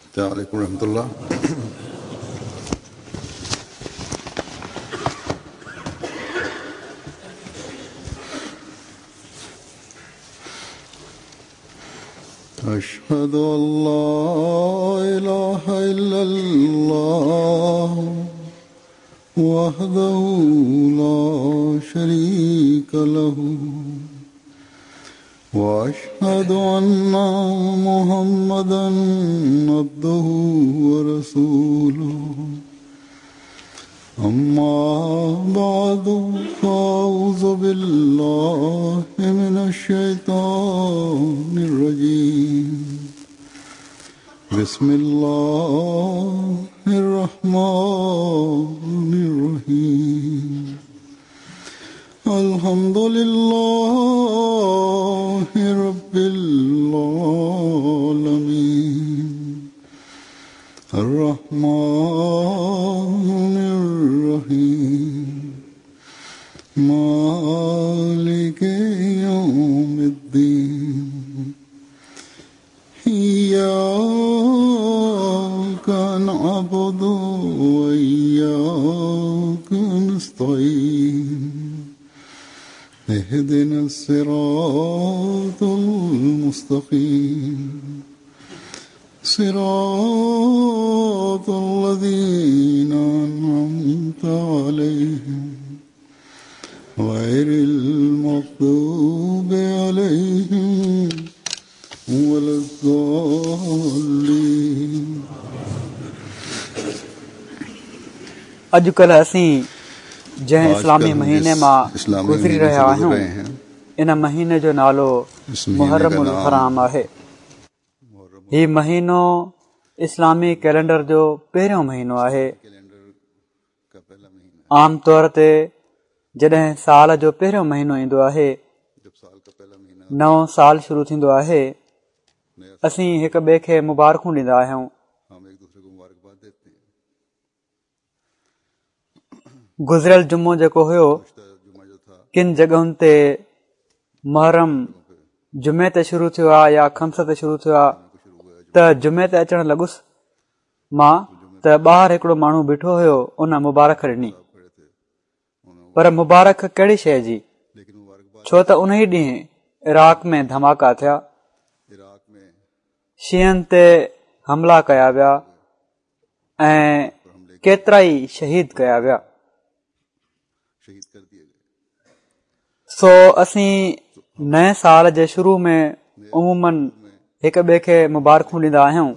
السلام عليڪم ورحمة الله. أشهد أن لا إله إلا الله وحده لا شريك له وأشهد أن محمدا عبده ورسوله. أما بعد، فأعوذ بالله من الشيطان الرجيم. بسم الله الرحمن الرحيم. الحمد لله رب العالمين، الرحمن الرحيم، مالك يوم الدين، إياك نعبد وإياك نستعين، اهدنا الصراط المستقيم، صراط الذين أنعمت عليهم، غير المغضوب عليهم ولا الضالين. اڄڪلهه اسين جنهن اسلامي آجڪل هم مهيني جس مان اسلامي گذري مهيني رهيا سي گذر آهيون رهي هين، ان مهيني جو نالو اس مهيني محرم ڪا نام الحرام آهي. محرم هي مهينو اسلامي ڪئلينڊر جو پهريون مهينو آهي. ڪئلينڊر ڪا پهلا مهينا. عام طور تي جڏهن سال جو پهريون مهينو ايندو آهي، جب سال ڪا پهلا مهينا، نئون سال شروع ٿيندو آهي، نيا سال، اسين هڪ ٻئي کي مبارڪون ڏيندا آهيون. هم ايڪ دوسري ڪو مبارڪباد ديتي هين. گذريل جمعو جيڪو هيو، گذشته جمعه جو ٿا، ڪن جڳهن تي محرم جمعي تي شروع ٿيو آهي يا خميس تي شروع ٿيو آهي ته جمعي تي اچڻ لڳس مان ته ٻاهر هڪڙو ماڻهو بيٺو هيو، ان مبارڪ ڏني. پر مبارڪ ڪهڙي شيء جي؟ ڇو ته انهي ڏينهن عراق ۾ ڌماڪا ٿيا، شيعن تي حملا ڪيا ويا ۽ ڪيترائي شهيد ڪيا ويا. سو اسين نئين سال جي شروع ۾ عموماً هڪ ٻئي کي مبارڪون ڏيندا آهيون،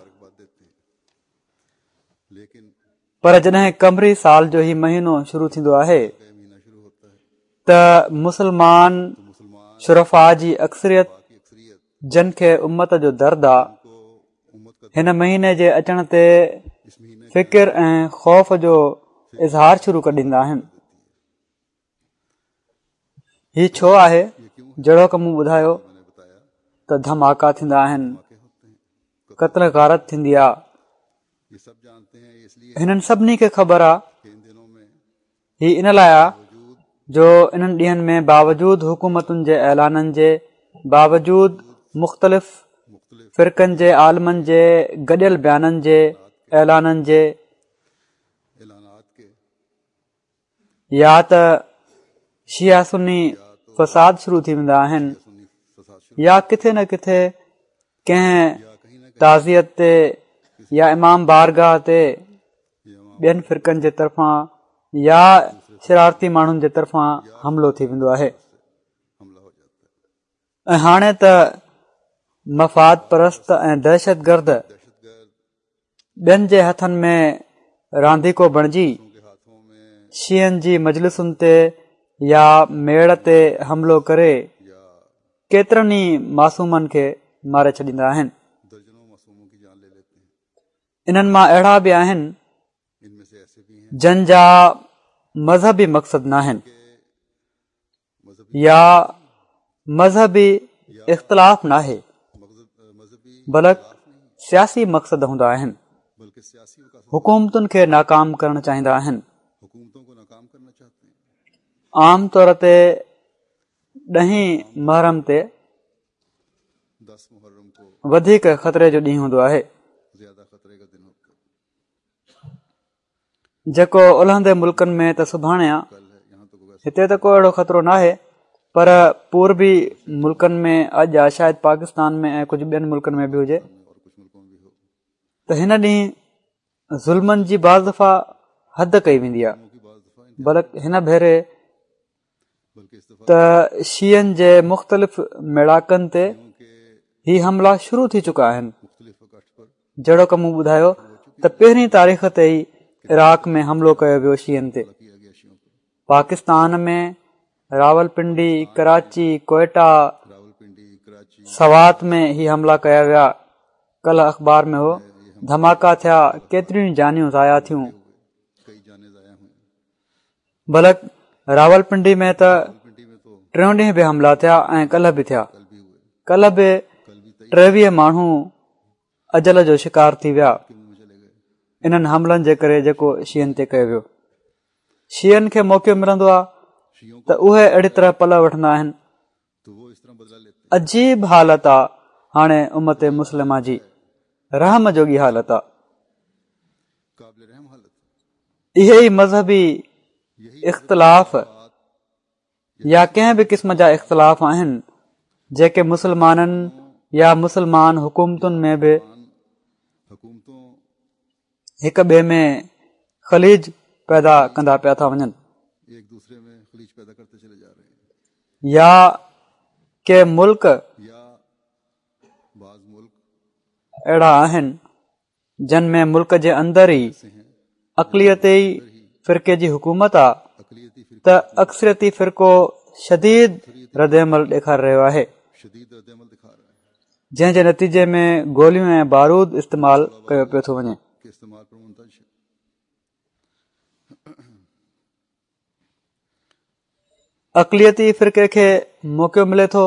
پر جڏهن قمري سال جو هي مهينو شروع ٿيندو آهي ته مسلمان شرفاء جي اڪثريت، جن کي امت جو درد آ، هن مهيني جي اچڻ تي فڪر ۽ خوف جو اظهار شروع ڪري ڏيندا آهن. هي ڇو آهي؟ جهڙوڪ مون ٻڌايو ته ڌماڪا ٿيندا آهن، قتل غارت ٿيندي آ. هنن سڀني کي خبر آ. هي ان لاء آ جو انهن ڏينهن ۾ باوجود حڪومتن جي اعلانن جي، باوجود مختلف فرقن جي عالمن جي گڏيل بيانن جي، اعلانن جي، يا ته شيعا سني فساد شروع ٿي ويندا آهن يا ڪٿي نه ڪٿي ڪنهن تعزيت تي يا امام بارگاهه تي ٻين فرقن جي طرفان يا شرارتي ماڻهن جي طرفان حملو ٿي ويندو آهي ۽ هاڻي ته مفاد پرست ۽ دهشت گرد ٻين جي هٿن ۾ رانديڪو بڻجي شيعن جي مجلسن تي يا ميڙ تي حملو ڪري ڪيترن ئي معصومن کي ماري ڇڏيندا آهن. انهن مان اهڙا به آهن جن جا مذهبي مقصد ناهن. يا مذهبي اختلاف ناهي، بلڪ سياسي مقصد هوندا آهن، حڪومتن کي ناڪام ڪرڻ چاهيندا آهن. عام طور تي ڏهين محرم تي وڌيڪ خطري جو ڏينهن هوندو آهي. جيڪو الهندي ملڪن ۾ ته سڀاڻي آ، هتي ته ڪو اهڙو خطرو ناهي پر پوربي ملڪن ۾ اڄ آ، شايد پاڪستان ۾ ۽ ڪجهه ٻين ملڪن ۾ به هجي ته هن ڏينهن ظلمن جي بعض دفعا حد ڪئي ويندي آ، بلڪ هن ڀيري ته شيعن جي مختلف ميڙاڪن تي هي حملا شروع ٿي چڪا آهن. جهڙوڪ مون ٻڌايو ته پهرين تاريخ تي ئي عراق ۾ حملو ڪيو ويو شيعن تي. پاڪستان ۾ راولپنڊي، ڪراچي، ڪوئيٽا، سوات ۾ هي حملا ڪيا ويا. ڪلهه اخبار ۾ هو ڌماڪا ٿيا، ڪيتريون ئي جانيون ضايع ٿيون. بلڪ راولپنڊي ۾ ته ٽيون ڏينهن به حملا ٿيا ۽ ڪلهه به ٿيا. ڪلهه به 23 ماڻهو اجل جو شڪار ٿي ويا انهن حملن جي ڪري جيڪو شيعن تي ڪيو ويو. شيعن کي موقعو ملندو آهي ته اهي اهڙي طرح پلئه وٺندا آهن. عجيب حالت آ هاڻي امت مسلمه جي، رحم جوڳي حالت آ. اهي ئي مذهبي اختلاف يا ڪنهن به قسم جا اختلاف آهن جيڪي مسلمانن يا مسلمان حڪومتن ۾ به هڪ ٻئي ۾ خليج پيدا ڪندا پيا ٿا وڃن يا ڪي ملڪ اهڙا آهن جن ۾ ملڪ جي اندر ئي اقليتي فرقي جي حڪومت آ ته اڪثريتي فرقو شديد رد عمل ڏيکاري رهيو آهي جنهن جي نتيجي ۾ گوليون ۽ بارود استعمال ڪيو پيو ٿو وڃي. اقليتي فرقي کي موقعو ملي ٿو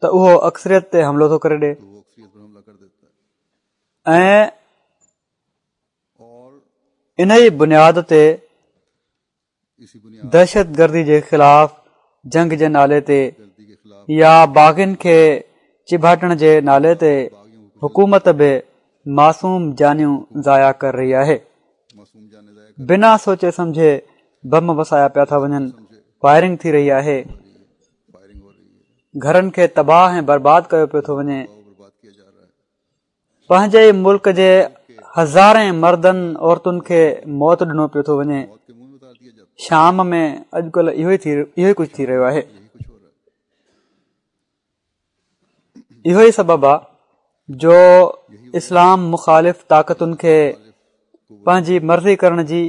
ته اهو اڪثريت تي حملو ٿو ڪري ڏي ۽ ان ئي بنياد تي دهشتگردي جي خلاف جنگ جي نالي تي يا باغين کي چيڀاٽڻ جي نالي تي حڪومت به معصوم جانيون ضايع ڪري رهي آهي. بنا سوچي سمجهي بم وسايا پيا ٿا وڃن، فائرنگ ٿي رهي آهي، گهرن کي تباهه ۽ برباد ڪيو پيو ٿو وڃي. پنهنجي ئي ملڪ جي هزارين مردن عورتن کي موت ڏنو پيو ٿو وڃي. شام ۾ اڄڪلهه اهو ئي اهو ئي ڪجهه ٿي رهيو آهي. اهو ئي سبب آهي جو اسلام مخالف طاقتن کي پنهنجي مرضي ڪرڻ جي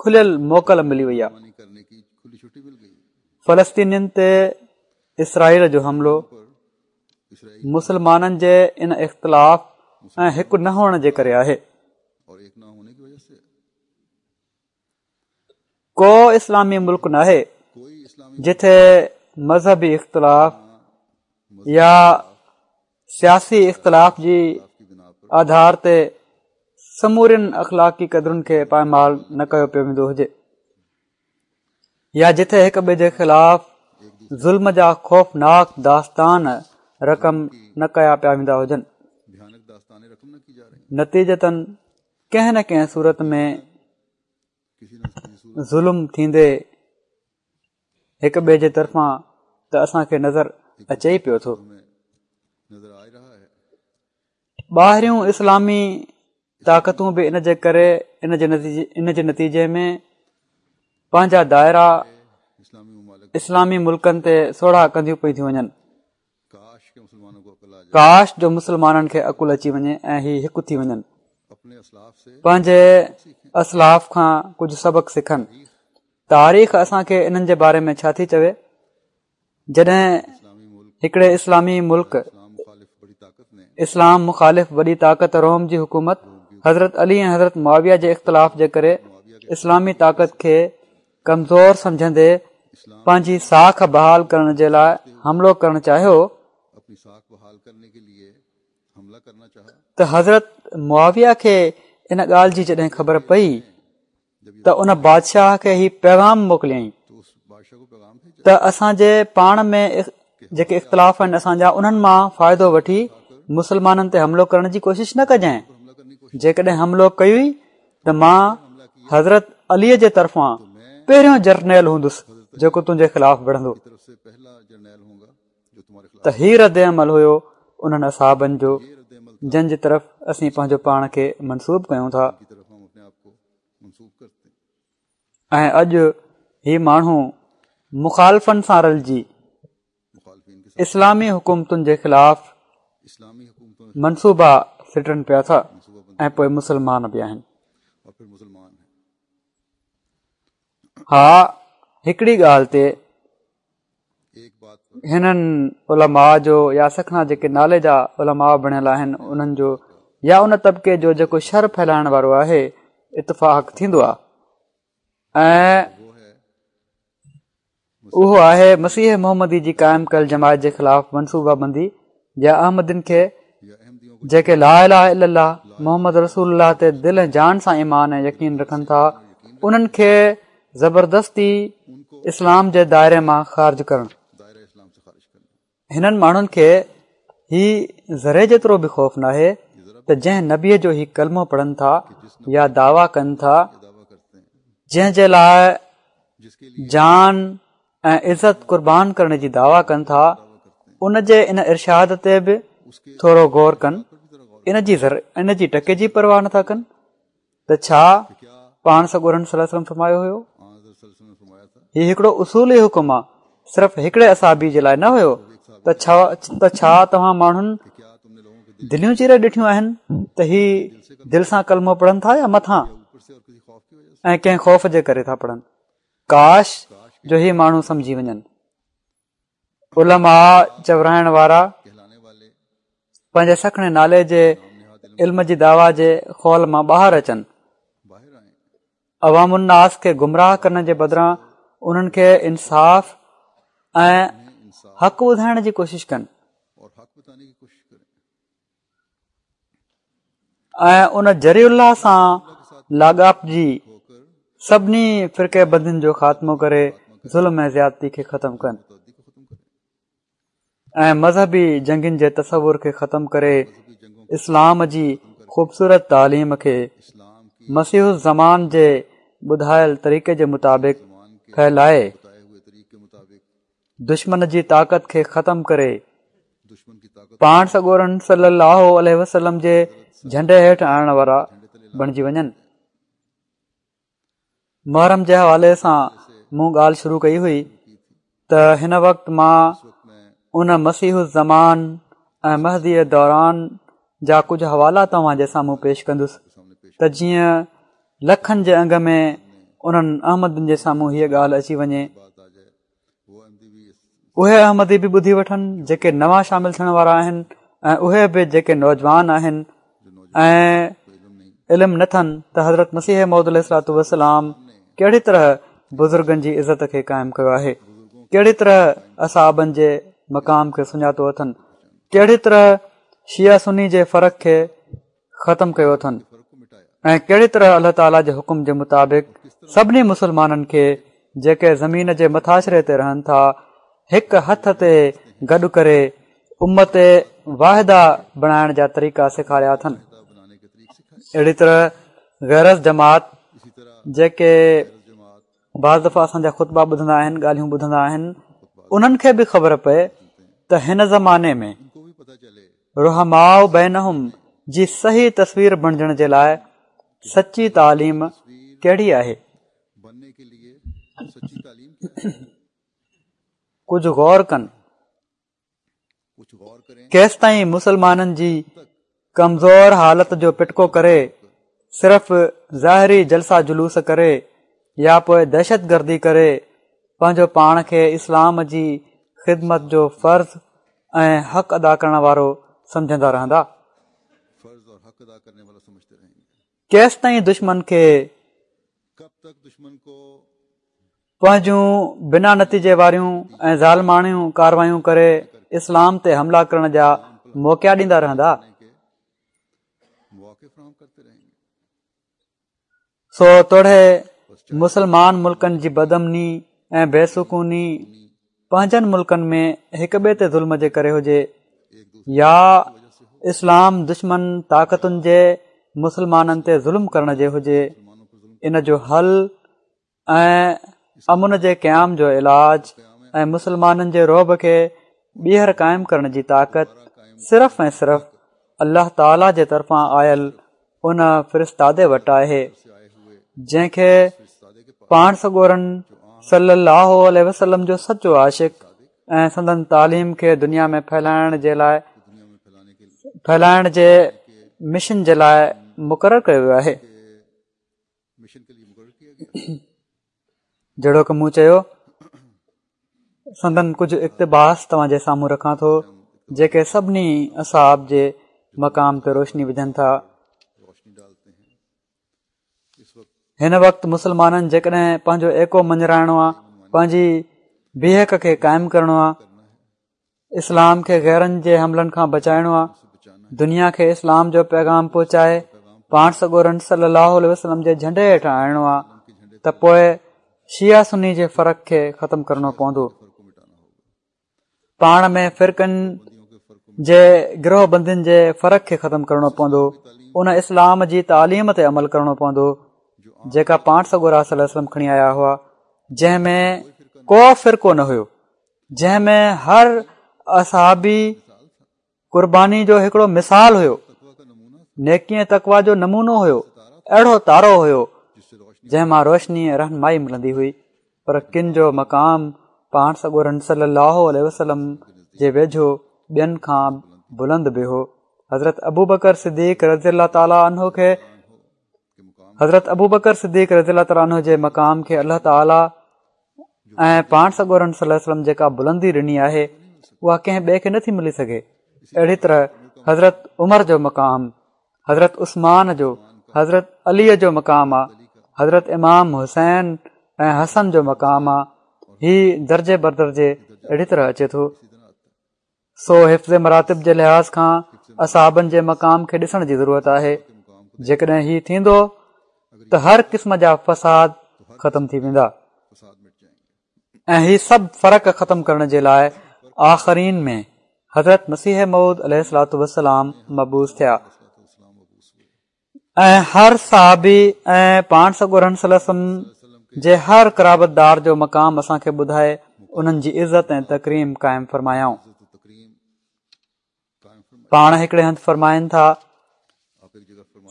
کليل موڪل ملي وئي آهي. فلسطينين تي اسرائيل جو حملو مسلمانن جي ان اختلاف ۽ هڪ نه هئڻ جي ڪري آهي. ڪو اسلامي ملڪ ناهي جتي مذهبي اختلاف يا سياسي اختلاف جي آڌار تي سمورين اخلاقي قدرن کي پائمال نه ڪيو پيو ويندو هجي يا جتي هڪ ٻئي جي خلاف ظلم جا خوفناڪ داستان رقم نه ڪيا پيا ويندا هجن. نتيجتاً ڪنهن نه ڪنهن صورت ۾ ظلم ٿيندي هڪ ٻئي جي طرفان ته اسان کي نظر اچي ئي پيو ٿو. ٻاهريون اسلامي طاقتون به ان جي ڪري ان جي ان جي نتيجي ۾ پنهنجا دائرا اسلامي ملڪن تي سوڙها ڪنديون پئي ٿيون وڃن. ڪاش جو مسلمانن کي عقل اچي وڃي ۽ هي هڪ ٿي وڃن. پنهنجي اسلاف کان ڪجهه سبق سکن. تاريخ اسان کي انهن جي باري ۾ ڇا ٿي چوي؟ جڏهن هڪڙي اسلامي ملڪ اسلام مخالف وڏي طاقت روم جي حڪومت حضرت علي ۽ حضرت معاويه جي اختلاف جي ڪري اسلامي طاقت کي ڪمزور سمجهندي پنهنجي ساک بحال ڪرڻ جي لاء حملو ڪرڻ چاهيو ته حضرت معاويه کي ان ڳالهه جي جڏهن خبر پئي ته ان بادشاهه کي هي پيغام موڪليائين ته اسان جي پاڻ ۾ جيڪي اختلاف آهن اسان جا انهن مان فائدو وٺي مسلمانن تي حملو ڪرڻ جي ڪوشش نه ڪجانء. جيڪڏهن حملو ڪيوئي ته مان حضرت علي جي طرفان پهريون جرنيل هوندس جيڪو تنهنجي خلاف وڙهندو. ته هي رد عمل هيو انهن اصحابن جو جن جي طرف اسين پنهنجو پاڻ کي منسوب ڪيون ٿا. ۽ اڄ هي ماڻهو مخالفن سان رلجي اسلامي حڪومتن جي خلاف منصوبا سٽن پيا ٿا ۽ پوء مسلمان به آهن. ها هڪڙي ڳالهه تي هنن علماء جو يا سکڻا جيڪي نالي جا علماء بڻيل آهن انهن جو يا ان طبقي جو جيڪو شر ڦهلائڻ وارو آهي اتفاق ٿيندو آهي ۽ اهو آهي مسيح محمدي جي قائم ڪيل جماعت جي خلاف منصوبه بندي يا احمدين کي جيڪي لا اله الا الله محمد رسول الله تي دل ۽ جان سان ايمان ۽ يقين رکن ٿا انهن کي زبردستي اسلام جي دائري مان خارج ڪرڻ. هنن ماڻهن کي هي ذري جيترو به خوف ناهي ته جنهن نبيء جو هي ڪلمو پڙهن ٿا يا دعويٰ ڪن ٿا جنهن جي لاء جان ۽ عزت قربان ڪرڻ جي دعويٰ ڪن ٿا ان جي ان ارشاد تي به ٿورو غور ڪن ان جي ان جي ٽڪي جي پرواهه نٿا ڪن ته ڇا پاڻ سڳورن صلي الله عليه وسلم فرمايو هيو هي هڪڙو اصولي حڪم آ صرف هڪڙي اصحابي جي لاء نه هيو ته ڇا ته ڇا توهان ماڻهن دليون چيري ڏٺيون آهن ته هي دل سان ڪلمو پڙهن ٿا يا مٿان ۽ ڪنهن خوف جي ڪري ٿا پڙهن ڪاش جو هي ماڻهو سمجهي وڃن علماء چورائڻ وارا پنهنجي سکڻي نالي جي علم جي دعويٰ جي خول مان ٻاهر اچن عوام الناس کي گمراهه ڪرڻ جي بدران انهن کي انصاف ۽ حق ٻڌائڻ جي ڪوشش ڪن ۽ ان جري الله سان لاڳاپجي سڀني فرقي بندين جو خاتمو ڪري ظلم ۽ زيادتي کي ختم ڪن ۽ مذهبي جنگين جي تصور کي ختم ڪري اسلام جي خوبصورت تعليم کي مسيح الزمان جي ٻڌايل طريقي جي مطابق ڦهلائي دشمن جي طاقت کي ختم ڪري پاڻ سڳورن صلي الله عليه وسلم جي جهنڊي هيٺ آڻڻ وارا بڻجي وڃن. محرم جي حوالي سان مون ڳالهه شروع ڪئي هئي ته هن وقت مان ان مسيح الزمان ۽ مهدي دوران جا ڪجهه حوالا توهان جي سامهون پيش ڪندس ته جيئن لکن جي انگ ۾ انهن احمدين جي سامهون هيء ڳالهه اچي وڃي اهي احمدي به ٻڌي وٺن جيڪي نوان شامل ٿيڻ وارا آهن ۽ اهي به جيڪي نوجوان آهن ۽ علم نه اٿن ته حضرت مسيح موعود عليه الصلوة والسلام ڪهڙي طرح بزرگن جي عزت کي قائم ڪيو آهي ڪهڙي طرح اصحابن جي مقام کي سڃاتو اٿن ڪهڙي طرح شيعه سني جي فرق کي ختم ڪيو اٿن ۽ ڪهڙي طرح الله تعاليٰ جي حڪم جي مطابق سڀني مسلمانن کي جيڪي زمين جي مٿاڇري تي رهن ٿا هڪ هٿ تي گڏ ڪري امت واحده بڻائڻ جا طريقا سيکاريا اٿن اهڙي طرح غير از جماعت جيڪي بعض دفعا اسان جا خطبا ٻڌندا آهن ڳالهيون ٻڌندا آهن انهن کي به خبر پئي ته هن زماني ۾ رحماء بينهم جي صحيح تصوير بڻجڻ جي لاء سچي تعليم ڪهڙي آهي؟ ڪجهه غور ڪن، ڪيستائين مسلمانن جي ڪمزور حالت جو پٽڪو ڪري صرف ظاهري جلسا جلوس ڪري يا پوء دهشت گردي ڪري پنهنجو پاڻ کي اسلام جي خدمت جو فرض ۽ حق ادا ڪرڻ وارو سمجهندا رهندا. ڪيستائين دشمن کي پنهنجون بنا نتيجي واريون ۽ ظالماڻيون ڪاروايون ڪري اسلام تي حملا ڪرڻ جا موقعا ڏيندا رهندا. سو توڙي مسلمان ملڪن جي بدامني ۽ بي سڪوني پنهنجن ملڪن ۾ هڪ ٻئي تي ظلم جي ڪري هجي يا اسلام دشمن طاقتن جي مسلمانن تي ظلم ڪرڻ جي هجي، ان جو حل ۽ امن جي قيام جو علاج ۽ مسلمانن جي رعب کي ٻيهر قائم ڪرڻ جي طاقت صرف ۽ صرف الله تعاليٰ جي طرفان آيل ان فرستادي وٽ آهي جنهن کي پاڻ سڳورن صلي الله عليه وسلم جو سچو عاشق ۽ سندن تعليم کي دنيا ۾ ڦهلائڻ جي لاء ڦهلائڻ جي مشن جي لاء مقرر ڪيو ويو آهي. جهڙوڪ مون چيو سندن ڪجهه اقتباس توهان جي سامهون رکان ٿو جيڪي سڀني اصحاب جي مقام تي روشني وجهن ٿا. هن وقت مسلمانن جيڪڏهن پنهنجو ايڪو مڃرائڻو آهي پنهنجي بيهڪ کي قائم ڪرڻو آهي اسلام کي غيرن جي حملن کان بچائڻو آ دنيا کي اسلام جو پيغام پهچائي پاڻ سڳورن صلي الله عليه وسلم جي جهنڊي هيٺ آڻڻو آ ته پوء شيعا سني جي فرق کي ختم ڪرڻو پوندو پاڻ ۾ فرقن جي گروه بندين جي فرق کي ختم ڪرڻو پوندو ان اسلام جي تعليم تي عمل ڪرڻو پوندو جيڪا پاڻ سڳورا صلي الله عليه وسلم کڻي آيا هئا جنهن ۾ ڪو فرقو نه هيو جنهن ۾ هر اصحابي قرباني جو هڪڙو مثال هيو نيڪي ۽ تقوا جو نمونو هيو اهڙو تارو هيو جنهن مان روشني ۽ رهنمائي ملندي هئي پر ڪن جو مقام پاڻ سڳورن صلي الله عليه وسلم جي ويجهو ٻين کان بلند به هو حضرت ابو بڪر صديق رضي الله تعاليٰ عنه کي حضرت ابو بڪر صديق رضي الله تعاليٰ عنه جي مقام کي الله تعاليٰ ۽ پاڻ سڳورن صلي الله عليه وسلم جيڪا بلندي ڏني آهي اها ڪنهن ٻئي کي نٿي ملي سگهي اهڙي طرح حضرت عمر جو مقام حضرت عثمان جو حضرت علي جو مقام آ حضرت امام حسين ۽ حسن جو مقام آ هي درجي بدرجي اهڙي طرح اچي ٿو سو حفظ مراتب جي لحاظ کان اصحابن جي مقام کي ڏسڻ جي ضرورت آهي جيڪڏهن هي ٿيندو ته هر قسم جا فساد ختم ٿي ويندا ۽ هي سڀ فرق ختم ڪرڻ جي لاء آخرين ۾ حضرت مسيح موعود عليه الصلوة والسلام مبعوث ٿيا ۽ هر صحابي ۽ پاڻ سڳورن صلي الله عليه وسلم جي هر قرابت دار جو مقام اسان کي ٻڌائي انهن جي عزت ۽ تڪريم قائم فرمايائون. پاڻ هڪڙي هنڌ فرمائن ٿا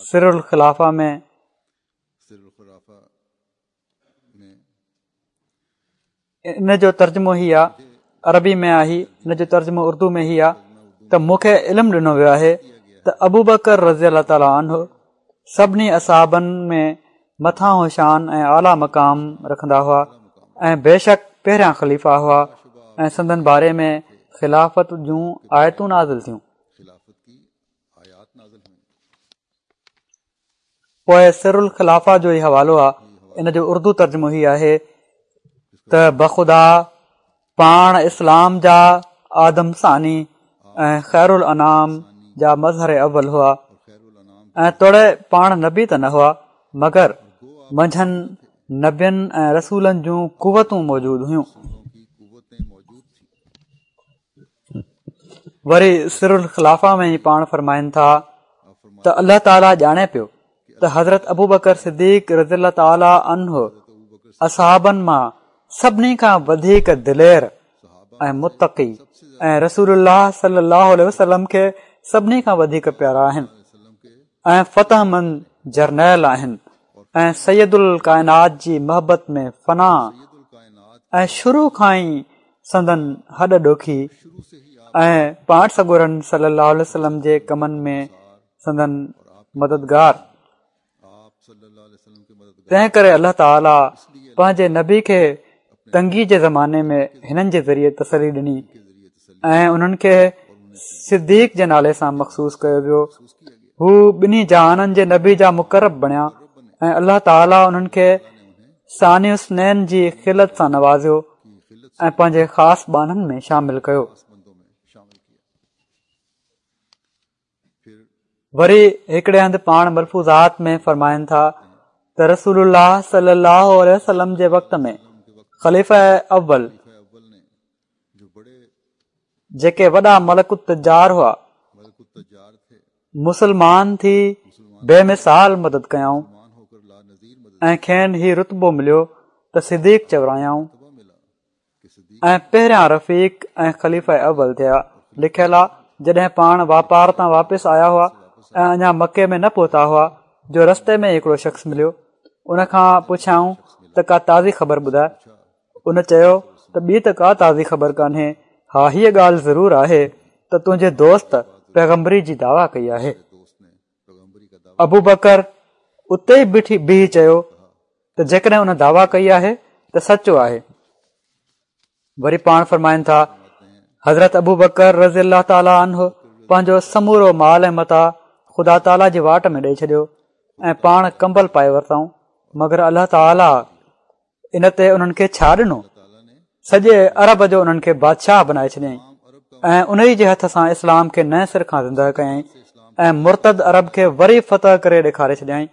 سر الخلافه ۾ ان جو ترجمو هي آ عربي ۾ آهي ان جو ترجمو اردو ۾ هي آ ته مون کي علم ڏنو ويو آهي ته ابو بڪر رضي الله تعاليٰ عنه سڀني اصحابن ۾ مٿانهون شان ۽ اعليٰ مقام رکندا هئا ۽ بيشڪ پهريان خليفا هئا ۽ سندن باري ۾ خلافت جون آيتون نازل ٿيون. پوء سر الخلافه جو ئي حوالو آ ان جو اردو ترجمو هي آهي ته بخدا پاڻ اسلام جا آدم ثاني ۽ خير الانام جا مظهر اول هئا ۽ توڙي پاڻ نبي ته نه هئا مگر منجهن نبين ۽ رسولن جون قوتون موجود هيون وري سر الخلافه ۾ ئي پاڻ فرمائن ٿا ته الله تعاليٰ ڄاڻي پيو ته حضرت ابوبڪر صديق رضي الله تعاليٰ عنه اصحابن مان سڀني کان وڌيڪ دلير ۽ متقي ۽ رسول الله صلي الله عليه وسلم کي سڀني کان وڌيڪ پيارا آهن ۽ فتح مند جرنيل آهن ۽ سيد الڪائنات جي محبت ۾ فنا ۽ شروع کان ئي سندن هڏ ڏوکي ۽ پاڻ سڳورن صلي الله عليه وسلم جي ڪمن ۾ سندن مددگار تنهن ڪري الله تعاليٰ پنهنجي نبي کي تنگي جي زماني ۾ هنن جي ذريعي تسلي ڏني ۽ انهن کي صديق جي نالي سان مخصوص ڪيو ويو هو ٻنهي جهانن جي نبي جا مقرب بڻيا ۽ الله تعاليٰ انهن کي ثاني اثنين جي خلعت سان نوازيو ۽ پنهنجي خاص ٻانهن ۾ شامل ڪيو وري هڪڙي هنڌ پاڻ ملفوظات ۾ فرمائن ٿا ته رسول الله صلي الله عليه وسلم جي وقت ۾ خليفه اول جيڪي وڏا ملڪ التجار هئا مسلمان ٿي بي مثال مدد ڪيائون ۽ کين هي رتبو مليو ته صديق چورايائون ۽ پهريان رفيق ۽ خليفه اول ٿيا. لکيل آ، جڏهن پاڻ واپار تان واپس آيا هئا ۽ اڃا مڪي ۾ نه پهتا هئا جو رستي ۾ هڪڙو شخص مليو، ان کان پڇيائون ته ڪا تازي خبر ٻڌاء؟ ان چيو ته ٻي ته ڪا تازي خبر ڪانهي، ها هيء ڳالهه ضرور آهي ته تنهنجي دوست پيغمبري جي دعويٰ ڪئي آهي. ابوبڪر اتي ئي بيٺي بيهي چيو ته جيڪڏهن ان دعويٰ ڪئي آهي ته سچو آهي. وري پاڻ فرمائن ٿا حضرت ابوبڪر رضي الله تعاليٰ عنه پنهنجو سمورو مال ۽ متاع خدا تعاليٰ جي واٽ ۾ ڏئي ڇڏيو ۽ پاڻ ڪمبل پائي ورتائون مگر الله تعاليٰ ان تي انهن کي ڇا ڏنو؟ سڄي عرب جو انهن کي بادشاهه بنائي ڇڏيائين ۽ انهي جي هٿ سان اسلام کي نئين سر کان زندهه ڪيائين ۽ مرتد عرب کي وري فتح ڪري ڏيکاري ڇڏيائين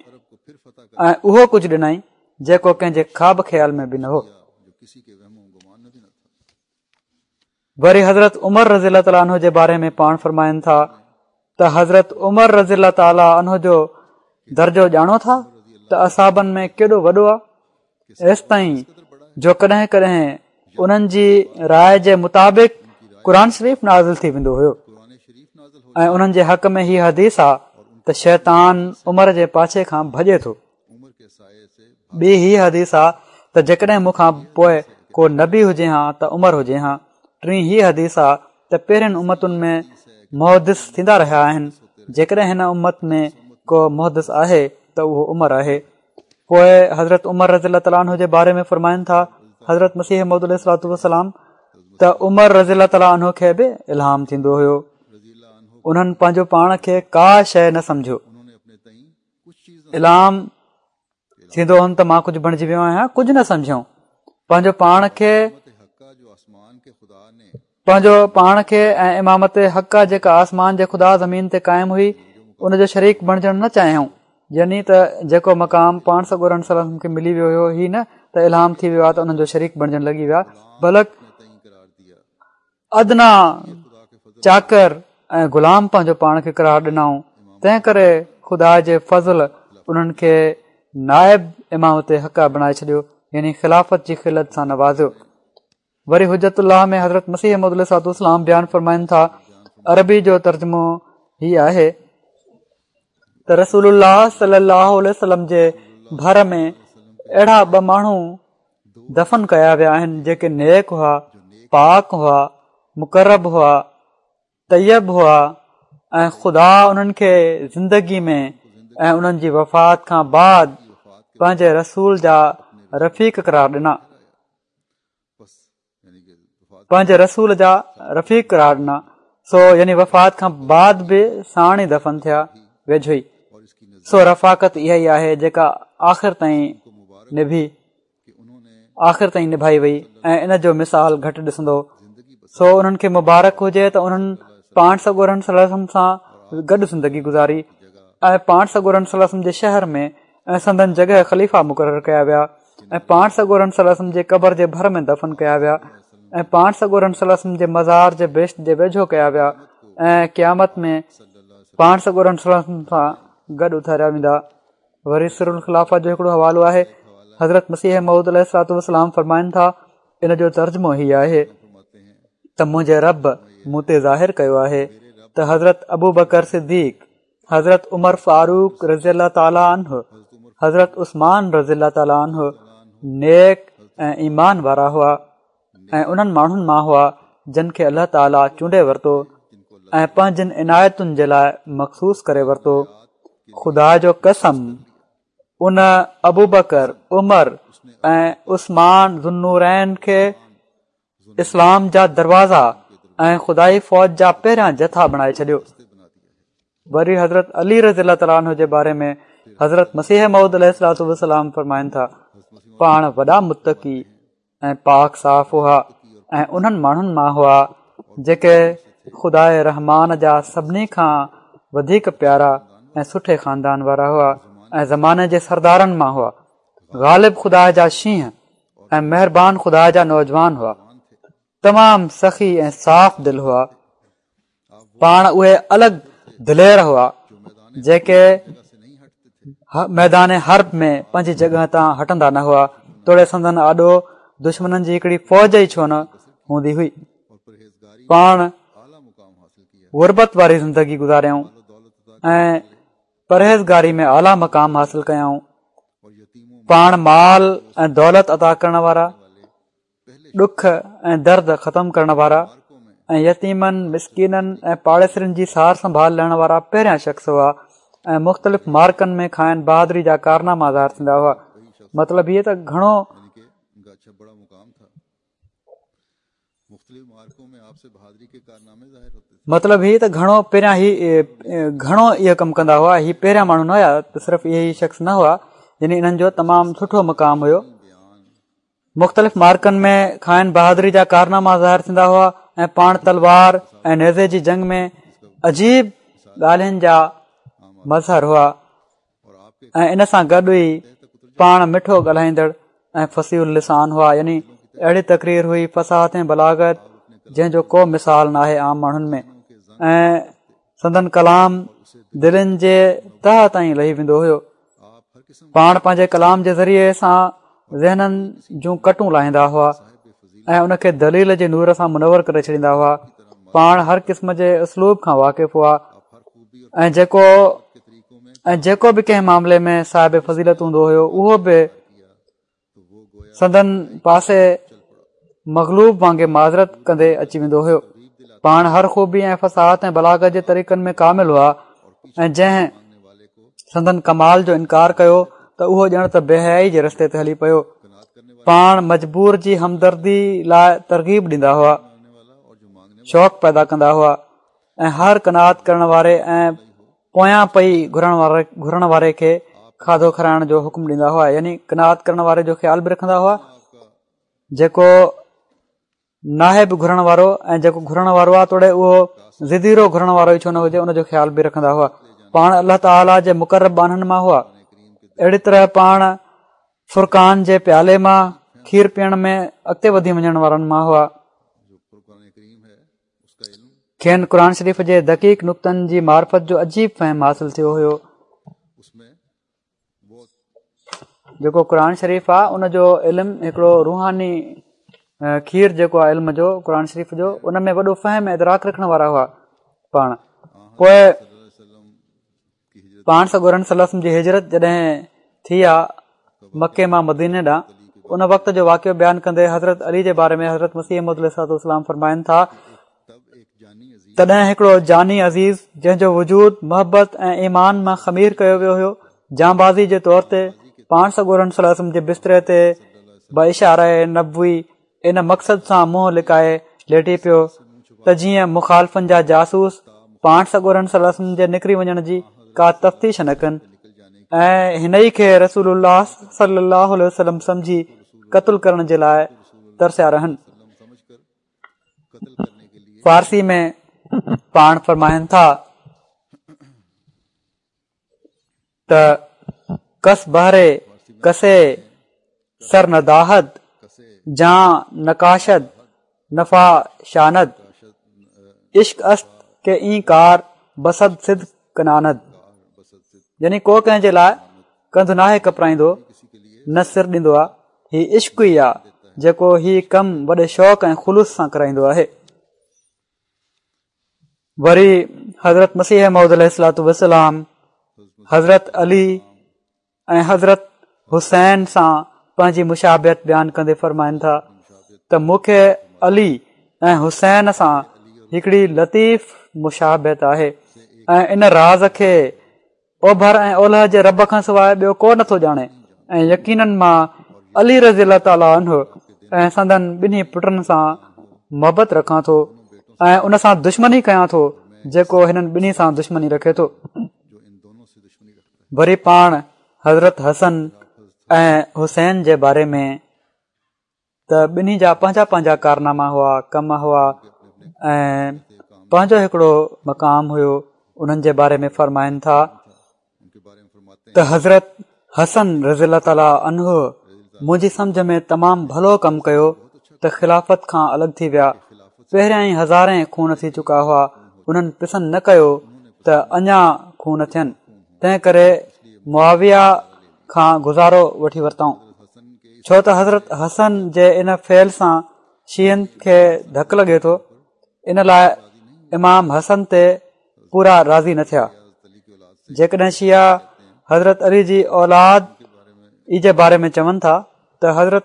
۽ اهو ڪجهه ڏنائين جيڪو ڪنهن جي خواب خيال ۾ به نه هو. وري حضرت عمر رضي الله تعالٰي عنه جي باري ۾ پاڻ فرمائن ٿا ته حضرت عمر رضي الله تعالٰي عنه جو درجو ڄاڻو ٿا ته اصحابن ۾ ڪيڏو وڏو آهي ايستائين جو ڪڏهن ڪڏهن انهن جي راء جي مطابق قرآن شريف نازل ٿي ويندو هيو ۽ انهن جي حق ۾ هي حديث آ ته شيطان عمر جي پاڇي کان ڀڄي ٿو ٻي هي حديث آ ته جيڪڏهن مون کان پوء ڪو نبي هجي ها ته عمر هجي ها. ٽين هي حديث آ ته پهرين امتن ۾ محدث ٿيندا رهيا آهن، جيڪڏهن هن امت ۾ ڪو محدث آهي ته اهو عمر آهي. پوء حضرت عمر رضي الله تعالٰي عنه جي باري ۾ فرمائن ٿا حضرت مسيح موعود عليه الصلوة والسلام ته عمر رضي الله تعالٰي عنه کي به الهام ٿيندو هيو. انهن پنهنجو پاڻ کي ڪا شيء نه سمجهيو. الهام ٿيندو هن ته مان ڪجهه بڻجي ويو آهيان ڪجهه نه سمجهيائون پنهنجو پاڻ کي پنهنجو پاڻ کي ۽ امامت حقه جيڪا آسمان جي خدا زمين تي قائم هئي ان جو شريڪ بڻجڻ نه چاهيائون يعني ته جيڪو مقام پاڻ سڳورن صلي الله عليه وسلم کي ملي ويو هيو هي نه ته الهام ٿي ويو آهي ته انهن جو شريڪ بڻجڻ لڳي ويا بلڪ ادنيٰ چاڪر ۽ غلام پنهنجو پاڻ کي قرار ڏنائون تنهن ڪري خدا جي فضل انهن کي نائب امامت حقه بڻائي ڇڏيو يعني خلافت جي خلعت سان نوازيو وري حجت الله ۾ حضرت مسيح موعود عليه الصلوة والسلام بيان فرمائن ٿا عربي جو ترجمو هي آهي ته رسول الله صلي الله عليه وسلم جي ڀر ۾ اهڙا ٻه ماڻهو دفن ڪيا ويا آهن جيڪي نيڪ هئا، پاڪ هئا، مقرب هئا، طيب هئا ۽ خدا انهن کي زندگي ۾ ۽ انهن جي وفات کان بعد پنهنجي رسول جا رفيق قرار ڏنا. پنهنجي رسول جا رفيق قرار ڏنا سو يعني وفات کان بعد به ساڻ ئي دفن ٿيا ويجهو ئي سو رفاقت اها ئي آهي جيڪا آخر تائين نڀي آخر تائين نڀائي وئي ۽ ان جو مثال گهٽ ڏسندو سو انهن کي مبارڪ هجي ته انهن پاڻ سڳورن صلي الله عليه وسلم سان گڏ زندگي گذاري ۽ پاڻ سڳورن صلي الله عليه وسلم جي شهر ۾ ۽ سندن جڳهه خليفا مقرر ڪيا ويا ۽ پاڻ سڳورن صلي الله عليه وسلم جي قبر جي ڀر ۾ دفن ڪيا ويا ۽ پاڻ سڳورن صلي الله عليه وسلم جي مزار جي بهشت جي ويجهو ڪيا ويا ۽ قيامت ۾ پاڻ سڳورن صلي الله عليه وسلم سان گڏ اٿاريا ويندا وري سر الخلافه جو هڪڙو حوالو آهي حضرت مسيح موعود عليه الصلوة والسلام فرمائن ٿا ان جو ترجمو هي آهي ته منهنجي رب مون تي ظاهر ڪيو آهي ته حضرت ابو بڪر صديق حضرت عمر فاروق رضي الله تعالٰي عنه، حضرت عثمان رضي الله تعالٰي عنه نيڪ ۽ ايمان وارا هئا ۽ انهن ماڻهن مان هئا جن کي الله تعالٰي چونڊي ورتو ۽ پنهنجن عنايتن جي لاء مخصوص ڪري ورتو خدا جو قسم ان ابوبڪر، عمر ۽ عثمان ذوالنورين کي اسلام جا دروازا ۽ خدائي فوج جا پهريان جٿا بڻائي ڇڏيو. وري حضرت علي رضي الله تعالٰي عنه جي باري ۾ حضرت مسيح موعود عليه الصلوة والسلام فرمائن ٿا، پاڻ وڏا متقي ۽ پاڪ صاف هئا ۽ انهن ماڻهن مان هئا جيڪي خداء رحمان جا سڀني کان وڌيڪ پيارا ۽ سٺي خاندان وارا هئا ۽ زماني جي سردارن مان هئا. غالب خدا جا شينهن ۽ مهربان خدا جا نوجوان هئا تمام سخي ۽ صاف دل هئا پاڻ اهي الڳ دلير هئا جيڪي ميدان حرب ۾ پنهنجي جڳهه تان هٽندا نه هئا، توڙي سندن آڏو دشمنن جي هڪڙي فوج ئي ڇو نه هوندي هئي. پاڻ غربت واري زندگي گذاريائون ۽ پرهيزگاري ۾ اعليٰ مقام حاصل ڪيائون. پاڻ مال ۽ دولت عطا ڪرڻ وارا، ڏک ۽ درد ختم ڪرڻ وارا ۽ يتيمن، مسڪينن ۽ پاڙيسرين جي سار سنڀال لهڻ وارا پهريان شخص هئا ۽ مختلف معرڪن ۾ کانئن بهادري جا ڪارناما ظاهر ٿيندا هئا. مطلب هيء ته گهڻو مطلب هي ته گهڻو پهريان هي گهڻو اهو ڪم ڪندا هئا هي پهريان ماڻهو نه هيا ته صرف اهي ئي شخص نه هئا يعني انهن جو تمام سٺو مقام هيو مختلف معرڪن ۾ کانئن بهادري جا ڪارناما ظاهر ٿيندا هئا ۽ پاڻ تلوار ۽ نيزي جي جنگ ۾ عجيب ڳالهين جا مظهر هئا ۽ ان سان گڏ ئي پاڻ مٺو ڳالهائيندڙ ۽ فصيح اللسان هئا يعني اهڙي تقرير هئي فصاحت ۽ بلاغت جنهن جو ڪو مثال ناهي عام ماڻهن ۾ ۽ سندن ڪلام دلين جي تهه تائين لهي ويندو هيو پاڻ پنهنجي ڪلام جي ذريعي سان ذهنن جون ڪٽون لاهيندا هئا ۽ ان کي دليل جي نور سان منور ڪري ڇڏيندا هئا پاڻ هر قسم جي اسلوب کان واقف هئا ۽ جيڪو ۽ جيڪو به ڪنهن معاملي ۾ صاحب فضيلت هوندو هيو اهو به سندن پاسي مغلوب وانگي معذرت ڪندي اچي ويندو هيو پاڻ هر خوبي ۽ فصاحت ۽ بلاغت جي طريقن ۾ ڪامل هئا ۽ جنهن سندن ڪمال جو انڪار ڪيو ته اهو ڄڻ ته بي حيائي جي رستي تي هلي پيو. پاڻ مجبور جي همدردي لاء ترغيب ڏيندا هئا، شوق پيدا ڪندا هئا ۽ هر قناعت ڪرڻ واري ۽ پويان پئي گهرڻ واري کي کاڌو کارائڻ جو حڪم ڏيندا هئا يعني قناعت ڪرڻ واري جو خيال به رکندا هئا جيڪو ناهي به گهرڻ وارو ۽ جيڪو گهرڻ وارو آهي توڙي اهو ضديرو گهرڻ وارو ئي ڇو نه هجي ان جو خيال به رکندا هئا پاڻ الله تعاليٰ جي مقرب ٻانهن مان هئا اهڙي طرح پاڻ فرقان جي پيالي مان کير پيئڻ ۾ اڳتي وڌي وڃڻ وارن مان هئا کين قرآن شريف جي دقيق نڪتن جي معرفت جو عجيب فهم حاصل ٿيو هيو جيڪو قرآن شريف آ ان جو علم هڪڙو روحاني کير جيڪو آ علم جو قرآن شريف جو ان ۾ وڏو فهم ادراڪ رکڻ وارا هئا پاڻ پوء پاڻ سڳورن صلي الله عليه وسلم جي هجرت جڏهن ٿي آ مڪي مان مديني ڏانهن ان وقت جو واقعو بيان ڪندي حضرت علي جي باري ۾ حضرت مسيح موعود عليه الصلوة والسلام فرمائن ٿا تڏهن هڪڙو جاني عزيز جنهن جو وجود محبت ۽ ايمان مان خمير ڪيو ويو هيو جانبازي جي طور تي پاڻ سڳورن صلي الله عليه وسلم جي بستري تي باشاره نبوي ان مقصد سان منهن لڪائي ليٽي پيو ته جيئن مخالفن جا جاسوس پاڻ سڳورن صلي الله عليه وسلم جي نڪري وڃڻ جي ڪا تفتيش نه ڪن ۽ هن ئي کي رسول الله صلي الله عليه وسلم سمجهي قتل ڪرڻ جي لاء ترسيا رهن فارسي ۾ پاڻ فرمائن ٿا ته کس بهر کسي سر ندهد جان نکشد نفاشاند عشق است که این کار بصد صدق کناند يعني ڪو ڪنهن جي لاء ڪنڌ ناهي ڪپرائيندو نه سر ڏيندو آ هي عشق ئي آ جيڪو هي ڪم وڏي شوق ۽ خلوص سان ڪرائيندو آهي. وري حضرت مسيح موعود عليه الصلوة والسلام حضرت علي ۽ حضرت حسين سان پنهنجي مشابهت بيان ڪندي فرمائن ٿا ته مون کي علي ۽ حسين سان هڪڙي لطيف مشابهت آهي ۽ ان راز کي اوڀر ۽ اولهه جي رب کان سواء ٻيو ڪو نٿو ڄاڻي ۽ يقيناً مان علي رضي الله تعالٰي عنه ۽ سندن ٻنهي پٽن سان محبت رکان ٿو ۽ ان سان دشمني ڪيان ٿو جيڪو هنن ٻنهي سان دشمني رکي ٿو وري پاڻ حضرت حسن ۽ حسين جي باري ۾ ته ٻنهي جا پنهنجا پنهنجا ڪارناما هئا ڪم هئا ۽ پنهنجو هڪڙو مقام هيو انهن جي باري ۾ فرمائن ٿا ته حضرت حسن رضي الله تعالٰي عنه منهنجي سمجه ۾ تمام ڀلو ڪم ڪيو ته خلافت کان الڳ ٿي ويا پهريان ئي هزارين خون ٿي چڪا هئا انهن پسند نه ڪيو ته اڃا خون ٿين تنهن ڪري معاويه کان گذارو وٺي ورتائون ڇو ته حضرت حسن جي ان فعل سان شيعن کي ڌڪ لڳي ٿو ان لاء امام حسن تي پورا راضي نه ٿيا جيڪڏهن شيعا حضرت علي جي اولاد ئي جي باري ۾ چون ٿا ته حضرت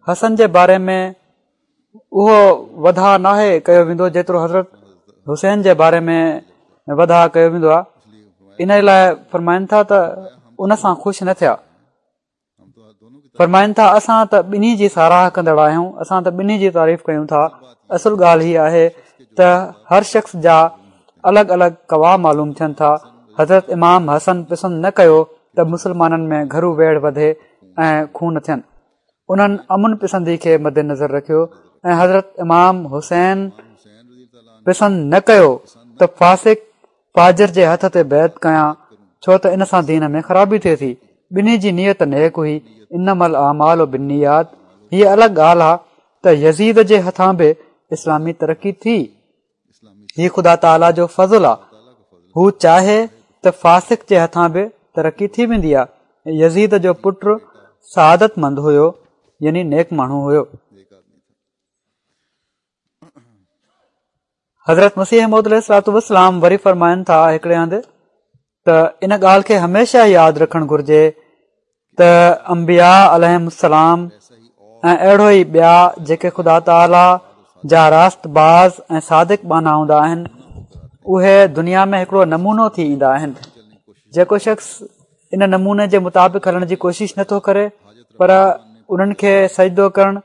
حسن جي باري ۾ اهو وڌاء ناهي ڪيو ويندو جيترو حضرت حسين جي باري ۾ وڌاء ڪيو ويندو آهي ان لاء فرمائن ٿا ته ان سان خوش نه ٿيا فرمائن ٿا اسان ته ٻنهي جي ساراهه ڪندڙ آهيون اسان ته ٻنهي جي تعريف ڪيون ٿا اصل ڳالهه هي آهي ته هر شخص جا الڳ الڳ قوام معلوم ٿين ٿا حضرت امام حسن پسند نه ڪيو ته مسلمانن ۾ گهرو ويڙهه وڌي ۽ خون ٿين انهن امن پسندي کي مد نظر رکيو ۽ حضرت امام حسين پسند نه ڪيو ته فاسق فاجر جي هٿ تي بيعت ڪيان ڇو ته ان سان دين ۾ خرابي ٿئي ٿي ٻنهي جي نيت نيڪ هئي انما الاعمال بالنيات هيء الڳ ڳالهه آ ته يزيد جي هٿان به اسلامي ترقي ٿي هي خدا تعاليٰ جو فضل آ هو چاهي ته فاسق جي هٿان به ترقي ٿي ويندي آ يزيد جو پٽ سعادت مند هيو يعني نيڪ ماڻهو هيو. حضرت مسيح موعود عليه الصلوة والسلام وري فرمائن ٿا هڪڙي هنڌ ته ان ڳالهه کي هميشه ياد رکڻ گهرجي ته انبياء عليهم السلام ۽ اهڙو ئي ٻيا جيڪي خدا تعاليٰ جا راست باز ۽ صادق ٻانها هوندا آهن اهي دنيا ۾ هڪڙو نمونو ٿي ايندا آهن جيڪو شخص ان نموني جي مطابق هلڻ جي ڪوشش نٿو ڪري پر انهن کي سجدو ڪرڻ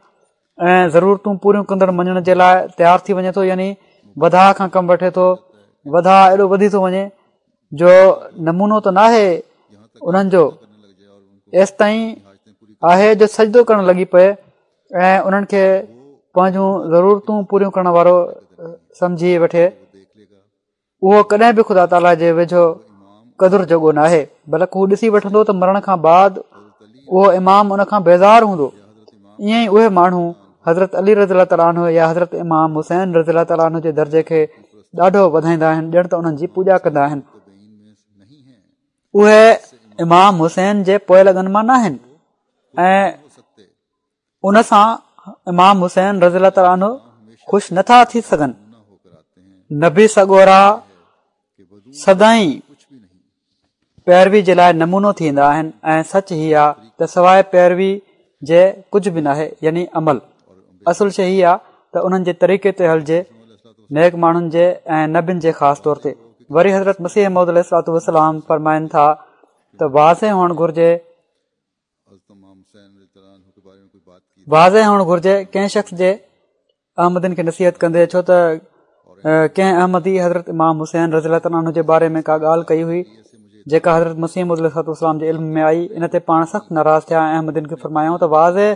۽ ضرورتون پوريون ڪندڙ مڃڻ جي لاء تيار ٿي وڃي ٿو يعني وڌاء کان ڪم وٺي ٿو وڌاء ايڏو وڌي ٿو وڃي جو نمونو ته ناهي انهن جو ايستائين آهي جو سجدو ڪرڻ لڳي پئي ۽ انهن کي پنهنجون ضرورتون پوريون ڪرڻ وارو سمجهي وٺي اهو ڪڏهن به خدا تعاليٰ جي ويجهو قدر جوڳو ناهي بلڪ هو ڏسي وٺندو ته مرڻ کان بعد اهو امام ان کان بيزار هوندو ائين ئي اهي ماڻهو حضرت علي رضي الله تعاليٰ عنه يا حضرت امام حسين رضي الله تعاليٰ عنه جي درجي کي ڏاڍو وڌائيندا آهن ڄڻ ته انهن جي پوڄا ڪندا آهن اهي امام حسين جي پوئلڳن مان ناهن ۽ ان سان امام حسين رضي الله تعالٰي عنه خوش نٿا ٿي سگهن نبي سڳورا سدائين پيروي جي لاء نمونو ٿيندا آهن ۽ سچ هي آ ته سواء پيروي جي ڪجهه به ناهي يعني عمل اصل شي هي آ ته انهن جي طريقي تي هلجي نيڪ ماڻهن جي ۽ نبين جي خاص طور تي وري حضرت مسيح موعود عليه الصلوة والسلام فرمائن ٿا ته واضح هئڻ گهرجي واضح هئڻ گهرجي ڪنهن شخص جي احمدين کي نصيحت ڪندي ڇو ته ڪنهن احمدي حضرت امام حسين رضي الله تعالٰي عنه جي باري ۾ ڪا ڳالهه ڪئي هئي جيڪا حضرت مسيح موعود عليه الصلوة والسلام جي علم ۾ آئي ان تي پاڻ سخت ناراض ٿيا ۽ احمدين کي فرمايائون ته واضح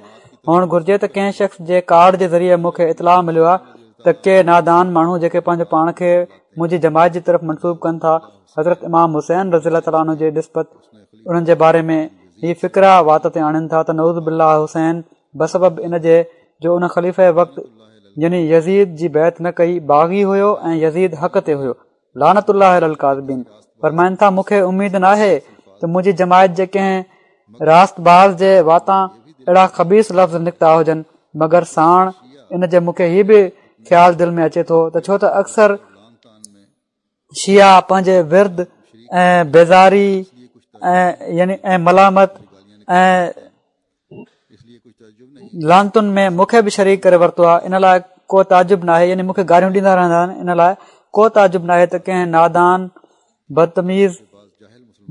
هئڻ گهرجي ته ڪنهن شخص جي ڪارڊ جي ذريعي مون کي اطلاع مليو آهي ته ڪي نادان ماڻهو جيڪي پنهنجو پاڻ کي منهنجي جماعت جي طرف منسوب ڪن ٿا حضرت امام حسين رضي الله تعالٰي عنه جي نسبت انهن جي باري ۾ هي فقرا وات تي آڻين ٿا ته نعوذ بالله حسين بسبب ان جي جو ان خليفه وقت يعني يزيد جي بيعت نه ڪئي باغي هيو ۽ يزيد حق تي هيو لعنت الله علي الڪاذبين فرمائن ٿا مون کي اميد ناهي ته منهنجي جماعت جي ڪنهن راست باز جي واتان اهڙا خبيث لفظ نڪتا هجن مگر ساڻ ان جي مون کي هي به خيال دل ۾ اچي ٿو ته ڇو ته اڪثر شيعا پنهنجي ورد ۽ بيزاري ۽ يعني ۽ ملامت ۽ لعنتن ۾ مون کي به شريڪ ڪري ورتو آهي ان لاء ڪو تعجب ناهي يعني مون کي گاريون ڏيندا رهندا آهن ان لاء ڪو تعجب ناهي ته ڪنهن نادان بدتميز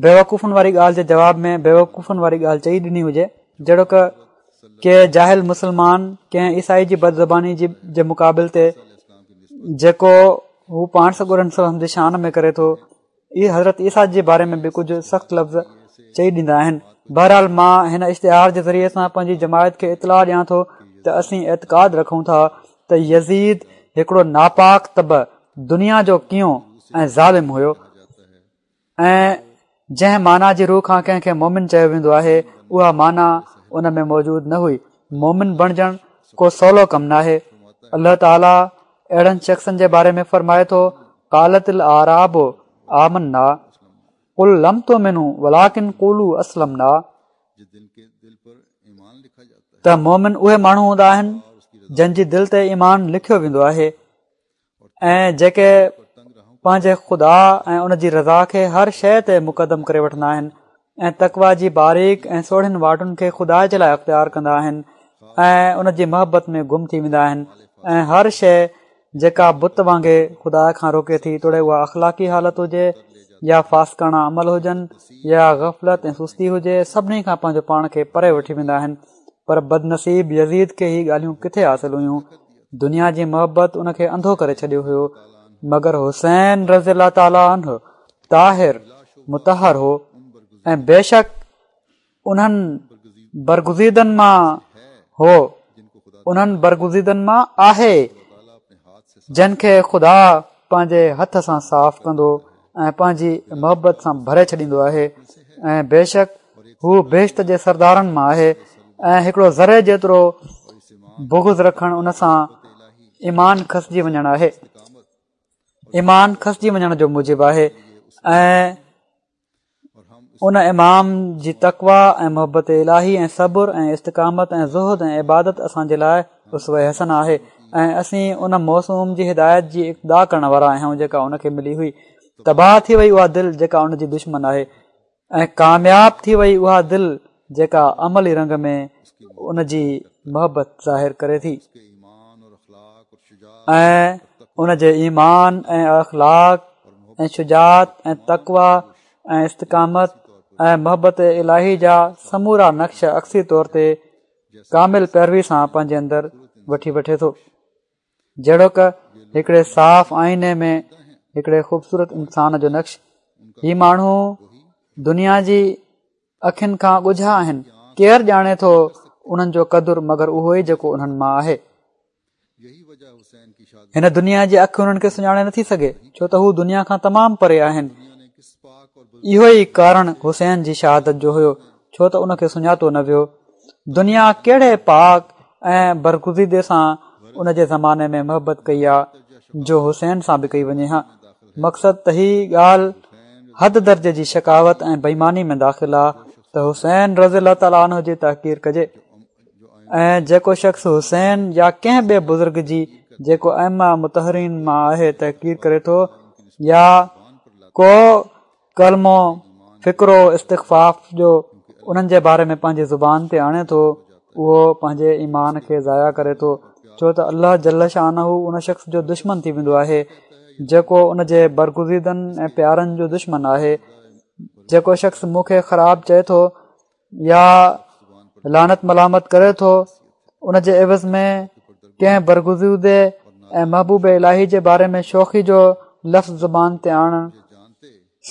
بيوقوفن واري ڳالهه جي جواب ۾ بيوقوفن واري ڳالهه چئي ڏني هجي جهڙوڪ ڪي جاهل مسلمان ڪنهن عيسائي جي بدزباني جي مقابل تي جيڪو هو پاڻ سڳورن صلي الله عليه وسلم جي شان ۾ ڪري ٿو اهي حضرت عيسيٰ جي باري ۾ به ڪجهه سخت لفظ چئي ڏيندا آهن بهرحال مان هن اشتهار جي ذريعي سان پنهنجي جماعت کي اطلاع ڏيان ٿو ته اسين اعتقاد رکون ٿا ته يزيد هڪڙو ناپاڪ طبع دنيا جو ڪينئون ۽ ظالم هيو ۽ جنهن معنيٰ جي رو کان ڪنهن کي مومن چيو ويندو آهي اها معنيٰ ان ۾ موجود نه هئي مومن بڻجڻ ڪو سولو ڪم ناهي الله تعاليٰ اهڙن شخصن جي باري ۾ فرمائي ٿو قالت الاعراب آمنا. قل لم تؤمنوا ولڪن قولوا اسلمنا ته مومن اهي ماڻهو هوندا آهن جن جي دل تي ايمان لکيو ويندو آهي ۽ جيڪي پنهنجي خدا ۽ ان جي رضا کي هر شيء تي مقدم ڪري وٺندا آهن ۽ تقويٰ جي باريڪ ۽ سوڙهين واٽن کي خدا جي لاء اختيار ڪندا آهن ۽ ان جي محبت ۾ گم ٿي ويندا آهن ۽ هر شيء جيڪا بت وانگي خدا کان روڪي ٿي توڙي اها اخلاقي حالت هجي يا فاسقاڻا عمل هجن يا غفلت ۽ سستي هجي سڀني کان پنهنجو پاڻ کي پري وٺي ويندا آهن پر بدنصيب يزيد کي هي ڳالهيون ڪٿي حاصل هيون دنيا جي محبت ان کي انڌو ڪري ڇڏيو هيو مگر حسين رضي الله تعاليٰ عنه طاهر مطهر هو ۽ بيشڪ انهن برگزيدن مان هو انهن برگزيدن مان آهي جن کي خدا پنهنجي هٿ سان صاف ڪندو ۽ پنهنجي محبت سان ڀري ڇڏيندو آهي ۽ بيشڪ هو بهشت جي سردارن مان آهي ۽ هڪڙو ذري جيترو بغض رکڻ ان سان ايمان کسجي وڃڻ آهي ايمان کسجي وڃڻ جو موجب آهي ۽ ان امام جي تقويٰ ۽ محبت الاهي ۽ صبر ۽ استقامت ۽ زهد ۽ عبادت اسان جي لاء اسوه حسنه آهي ۽ اسين ان موسوم جي هدايت جي اقتدا ڪرڻ وارا آهيون جيڪا ان کي ملي هئي تباهه ٿي وئي اها دل جيڪا ان جي دشمن آهي ۽ ڪامياب ٿي وئي اها دل جيڪا عملي رنگ ۾ ان جي محبت ظاهر ڪري ٿي ۽ ان جي ايمان ۽ اخلاق ۽ شجاعت ۽ تقويٰ ۽ استقامت ۽ محبت الاهي جا سمورا نقش عڪسي طور تي ڪامل پيروي سان پنهنجي اندر وٺي وٺي ٿو جهڙوڪ هڪڙي صاف آئيني ۾ هڪڙي خوبصورت انسان جو نقش هي ماڻهو دنيا جي اکين کان ڳجها آهن ڪير ڄاڻي ٿو انهن جو قدر مگر اهو ئي جيڪو انهن مان آهي هن دنيا جي اک انهن کي سڃاڻي نٿي سگهي ڇو ته هو دنيا کان تمام پري آهن اهو ئي ڪارڻ حسين جي شهادت جو هيو ڇو ته ان کي سڃاتو نه ويو دنيا ڪهڙي پاڪ ۽ برگزيدي سان ان جي زماني ۾ محبت ڪئي آ جو حسين سان به ڪئي وڃي ها مقصد ته هي ڳالهه حد درجي جي شقاوت ۽ بي ايماني ۾ داخل آ ته حسين رضي الله تعاليٰ عنه جي تحقير ڪجي ۽ جيڪو شخص حسين يا ڪنهن ٻئي بزرگ جي جيڪو ائمه مطهرين مان آهي تحقير ڪري ٿو يا ڪو ڪلمو فقرو استخفاف جو انهن جي باري ۾ پنهنجي زبان تي آڻي ٿو اهو پنهنجي ايمان کي ضايع ڪري ٿو ڇو ته الله جل شانه ان شخص جو دشمن ٿي ويندو آهي جيڪو ان جي برگزيدن ۽ پيارن جو دشمن آهي جيڪو شخص مون کي خراب چئي ٿو يا لعنت ملامت ڪري ٿو ان جي عوض ۾ ڪنهن برگزيدي ۽ محبوب الاهي جي باري ۾ شوخي جو لفظ زبان تي آڻڻ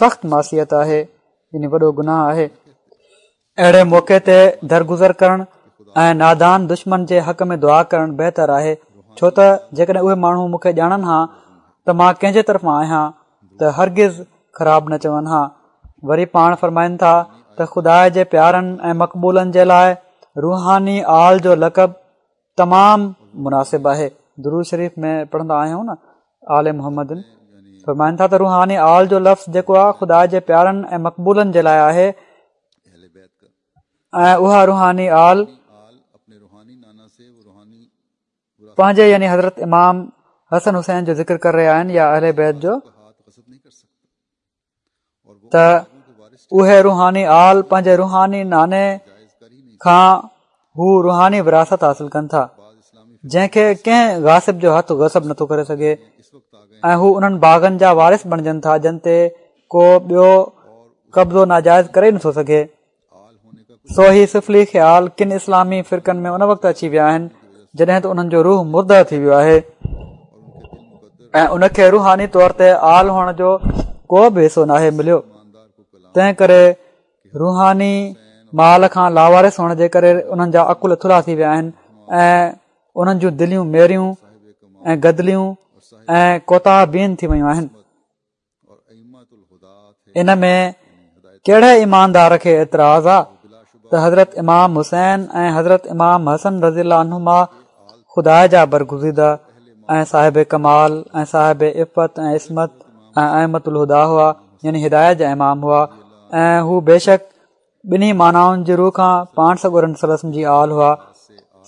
سخت معصيت آهي يعني وڏو گناهه آهي اهڙي موقعي تي درگذر ڪرڻ ۽ نادان دشمن جي حق ۾ دعا ڪرڻ بهتر آهي ڇو ته جيڪڏهن اهي ماڻهو مون کي ڄاڻن ها ته مان ڪنهن جي طرفان آهيان ته هرگز خراب نه چون ها وري پاڻ فرمائن ٿا ته خدا جي پيارن ۽ مقبولن جي لاء روحاني آل جو لقب تمام مناسب آهي درود شريف ۾ پڙهندا آهيون نه آل محمد فرمائن ٿا ته روحاني آل جو لفظ جيڪو آهي خدا جي پيارن ۽ مقبولن جي لاء آهي ۽ اها روحاني آل پنهنجي يعني حضرت امام حسن حسين جو ذڪر ڪري رهيا آهن يا اهل بيت جو ته اهي روحاني آل پنهنجي روحاني ناني کان هو روحاني وراثت حاصل ڪن ٿا جنهن کي ڪنهن غاصب جو هٿ غصب نٿو ڪري سگهي ۽ هو انهن باغن جا وارث بڻجن ٿا جن تي ڪو ٻيو قبضو ناجائز ڪري نٿو سگهي سو هي سفلي خيال ڪن اسلامي فرقن ۾ ان وقت اچي ويا آهن جڏهن ته انهن جو روح مرده ٿي ويو آهي ۽ ان کي روحاني طور تي آل هئڻ جو ڪو به حصو ناهي مليو تنهن ڪري روحاني مال کان لاوارث هئڻ جي ڪري انهن جا عقل ٿلها ٿي ويا آهن ۽ انهن جون دليون ميريون ۽ گدليون ۽ ڪوتاهه بين ٿي ويون آهن ان ۾ ڪهڙي ايماندار کي اعتراض آ ته حضرت امام حسين ۽ حضرت امام حسن رضي الله عنهما خدا جا برگزيده ۽ صاحب ڪمال ۽ صاحب عفت ۽ عصمت ۽ ائمة الهديٰ هئا يعني هدايت جا امام هئا. ۽ هو بيشڪ ٻنهي معنائن جي روء کان پاڻ سڳورن صلي الله عليه وسلم جي آل هئا.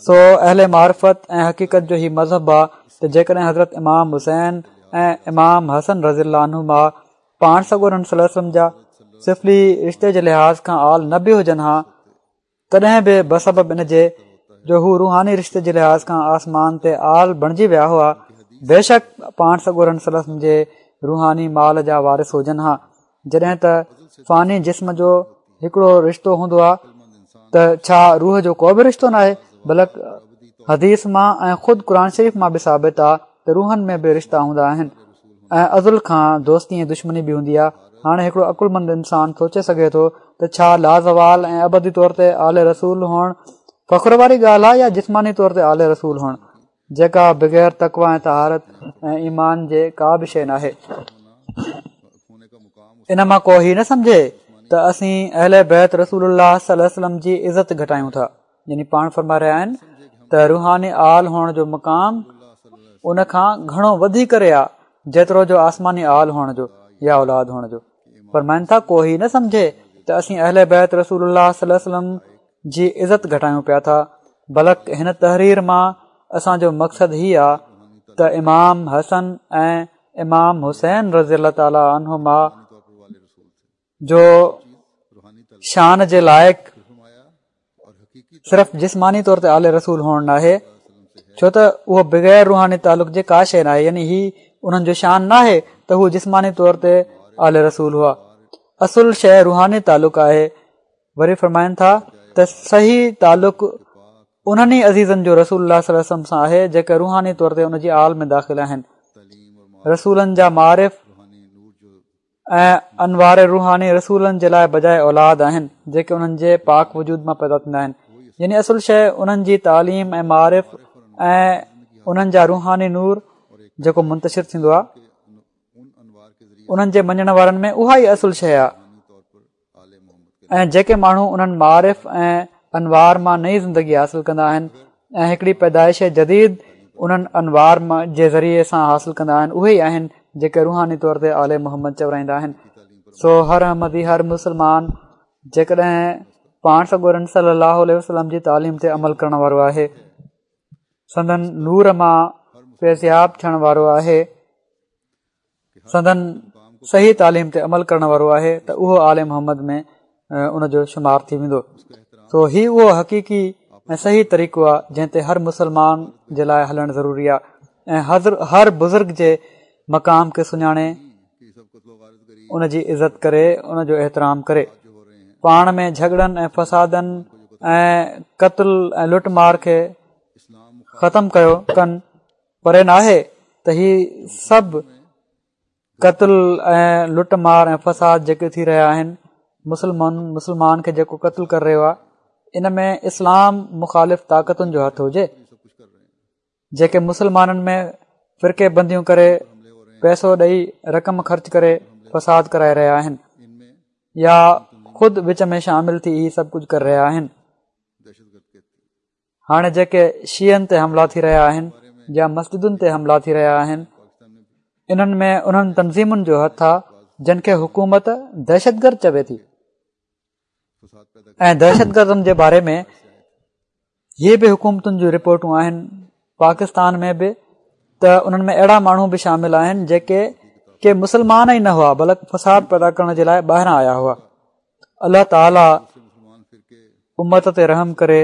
سو اهل معرفت ۽ حقيقت جو هي مذهب آ ته جيڪڏهن حضرت امام حسين ۽ امام حسن رضي الله عنهما پاڻ سڳورن صلي الله عليه وسلم جا سفلي رشتي جي لحاظ کان آل نه به هجن ها تڏهن به بسبب ان جي جو هو روحاني رشتي جي لحاظ کان آسمان تي آل بڻجي ويا هئا بيشڪ پاڻ سڳورن صلي الله عليه وسلم جي روحاني مال جا وارث هجن ها جڏهن ته فاني جسم جو هڪڙو رشتو هوندو آهي ته ڇا روح جو ڪو به رشتو ناهي بلڪ حديث مان ۽ خود قرآن شريف مان به ثابت آهي ته روحن ۾ به رشتا هوندا آهن ۽ ازل کان دوستي ۽ دشمني به هوندي آهي هاڻي هڪڙو عقلمند انسان سوچي سگهي ٿو ته ڇا لازوال ۽ ابدي طور تي آل رسول هئڻ فخر واري ڳالهه آهي يا جسماني طور تي آل رسول هئڻ جيڪا بغير تقويٰ ۽ طهارت ۽ ايمان جي ڪا به شيء ناهي. ان مان ڪو هي نه سمجهي ته اسين اهل بيت رسول الله صلي الله عليه وسلم جي عزت گهٽايون ٿا يعني پاڻ فرمائي رهيا آهن ته روحاني آل هئڻ جو مقام ان کان گهڻو وڌي ڪري آ جيترو جو آسماني آل هئڻ جو يا اولاد هئڻ جو فرمائن ٿا ڪو هي نه سمجهي ته اسين اهل بيت رسول الله صلي الله عليه وسلم جي عزت گهٽايون پيا ٿا بلڪ هن تحرير مان اسان جو مقصد هي آ ته امام حسن ۽ امام حسين رضي الله تعالٰي عنهما جو شان جي لائق صرف جسماني طور تي آل رسول هئڻ ناهي ڇو ته اهو بغير روحاني تعلق جي ڪا شيء ناهي يعني هي انهن جو شان ناهي ته هو جسماني طور تي آل رسول هئا اصل شيء روحاني تعلق آهي وري فرمائن ٿا ته صحيح تعلق انهن ئي عزيزن جو رسول الله صلي الله عليه وسلم سان آهي جيڪي روحاني طور تي ان جي آل ۾ داخل آهن رسولن جا معارف ۽ انوار روحاني رسولن جي لاء بجاء اولاد آهن جيڪي انهن جي پاڪ وجود مان پيدا ٿيندا آهن يعني اصل شيء انهن جي تعليم ۽ معارف ۽ انهن جا روحاني نور جيڪو منتشر ٿيندو آهي انهن جي مڃڻ وارن ۾ اها ئي اصل شيء آهي ۽ جيڪي ماڻهو انهن معارف ۽ انوار مان نئين زندگي حاصل ڪندا آهن ۽ هڪڙي پيدائش جديد انهن انوار جي ذريعي سان حاصل ڪندا آهن اهي ئي آهن جيڪي روحاني طور تي آل محمد چورائيندا آهن سو هر احمدي هر مسلمان جيڪڏهن پاڻ سڳورن صلي الله عليه وسلم جي تعليم تي عمل ڪرڻ وارو آهي سندن نور مان فيضياب ٿيڻ وارو آهي سندن صحيح تعليم تي عمل ڪرڻ وارو آهي ته اهو آل محمد ۾ ان جو شمار ٿي ويندو سو هي اهو حقيقي ۽ صحيح طريقو آهي جنهن تي هر مسلمان جي لاء هلڻ ضروري آهي ۽ هر بزرگ جي مقام کي سڃاڻي ان جي عزت ڪري ان جو احترام ڪري پاڻ ۾ جهڳڙن ۽ فسادن ۽ قتل ۽ لٽ مار کي ختم ڪيو ڪن پري ناهي ته هي سڀ قتل ۽ لٽ مار ۽ فساد جيڪي ٿي رهيا آهن مسلمان مسلمان کي جيڪو قتل ڪري رهيو آهي ان ۾ اسلام مخالف طاقتن جو هٿ هجي جيڪي مسلمانن ۾ فرقي بنديون ڪري پئسو ڏئي رقم خرچ ڪري فساد ڪرائي رهيا آهن يا خود وچ ۾ شامل ٿي هي سڀ ڪجهه ڪري رهيا آهن هاڻي جيڪي شيعن تي حملا ٿي رهيا آهن يا مسجدن تي حملا ٿي رهيا آهن انهن ۾ انهن تنظيمن جو هٿ آ جن کي حڪومت دهشتگرد چوي ٿي ۽ دهشتگردن جي باري ۾ هي به حڪومتن جون رپورٽون آهن پاڪستان ۾ به ته انهن ۾ اهڙا ماڻهو به شامل آهن جيڪي ڪي مسلمان ئي نه هئا بلڪ فساد پيدا ڪرڻ جي لاء ٻاهران آيا هئا الله تعالي امت تي رحم ڪري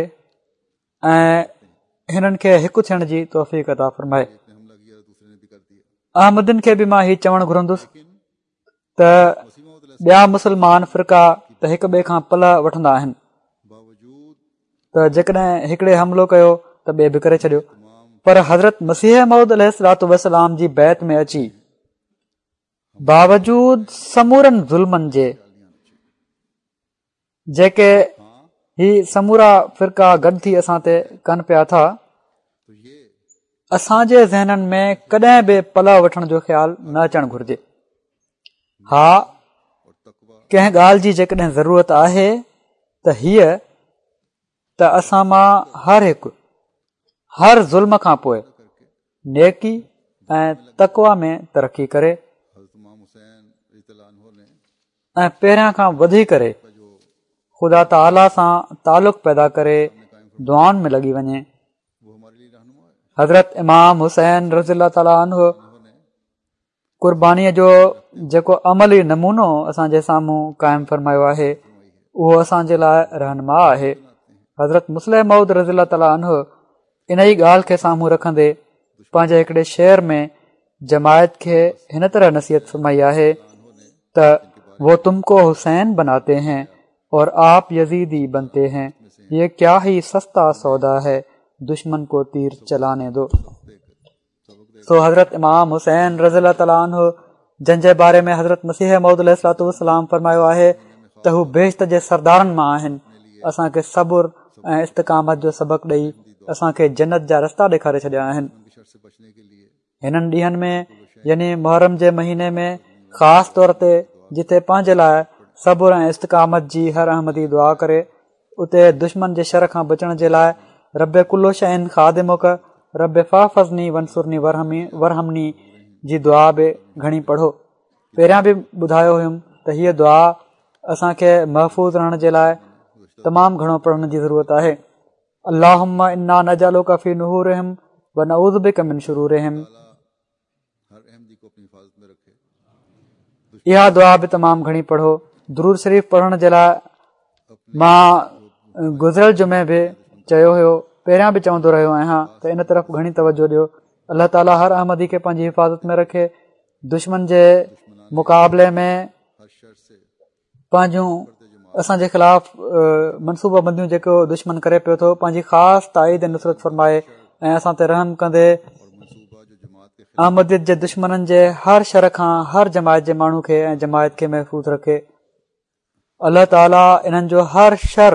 ۽ هنن کي هڪ ٿيڻ جي توفيق عطا فرمائي احمدين کي به مان هي چوڻ گهرندس ته ٻيا مسلمان فرقا ته هڪ ٻئي کان پلئه وٺندا آهن ته جيڪڏهن هڪڙي حملو ڪيو ته ٻئي به ڪري ڇڏيو پر حضرت مسيح موعود عليه الصلوٰة والسلام جي بيعت ۾ اچي باوجود سمورن ظلمن جي جيڪي هي سمورا فرقا گڏ ٿي اسان تي ڪن پيا ٿا اسان جي ذهنن ۾ ڪڏهن به پلئه وٺڻ جو خيال نه اچڻ گهرجي ها ڪنهن ڳالهه جي جيڪڏهن ضرورت آهي ته هيء ته اسان مان هر هڪ هر ظلم کان پوء نيڪي ۽ تقويٰ ۾ ترقي ڪري. ۽ پهريان کان وڌي ڪري خدا تعاليٰ سان تعلق پيدا ڪري دعائن ۾ لڳي وڃي. حضرت امام حسين رضي الله تعاليٰ عنه قربانيء جو جيڪو عملي نمونو اسان جي سامهون قائم فرمايو آهي اهو اسان جي لاء رهنما آهي. حضرت مصلح موعود رضي الله تعاليٰ عنه ان ئي ڳالهه کي سامهون رکندي پنهنجي هڪڙي شعر ۾ جماعت کي هن طرح نصيحت فرمائي آهي ته وہ تم کو حسين بناتي هين اور آپ يزيدي بنتي هين يه ڪيا هي سستا سودا هي دشمن کو تير چلاني دو. سو حضرت امام حسين رضي الله تعالٰي عنه جن جي باري ۾ حضرت مسيح موعود عليه الصلوة والسلام فرمايو آهي ته هو بهشت جي سردارن مان آهن اسان کي صبر ۽ استقامت جو سبق ڏئي اسان کي جنت جا رستا ڏيکاري ڇڏيا آهن هنن ڏينهن ۾ يعني محرم جي مهيني ۾ خاص طور تي جتي پنهنجي لاء صبر ۽ استقامت جي هر احمدي دعا ڪري اتي دشمن جي شر کان بچڻ جي لاء رب ڪل شيء خادمڪ رب فاحفظني وانصرني وارحمني جي دعا به گهڻي پڙهو. پهريان به ٻڌايو هيم ته هيء دعا اسان کي محفوظ رهڻ جي لاء تمام گهڻو پڙهڻ جي ضرورت آهي. اللهم انا نجعلک في نحورهم ونعوذ بک من شرورهم. اها دعا به تمام گهڻي پڙهو درود شريف پڙهڻ جي لاء مان گذريل جمعي به چيو هيو پهريان به چوندو رهيو آهيان ته ان طرف گهڻي توجه ڏيو الله تعالي هر احمدي کي پنهنجي حفاظت ۾ رکي دشمن جي مقابلي ۾ پنهنجون اسان جي خلاف منصوبه بنديون جيڪو دشمن ڪري پيو ٿو پنهنجي خاص تائيد ۽ نصرت فرمائي ۽ اسان تي رحم ڪندي احمديت جي دشمنن جي هر شر کان هر جماعت جي ماڻهو کي ۽ جماعت کي محفوظ رکي الله تعالي انهن جو هر شر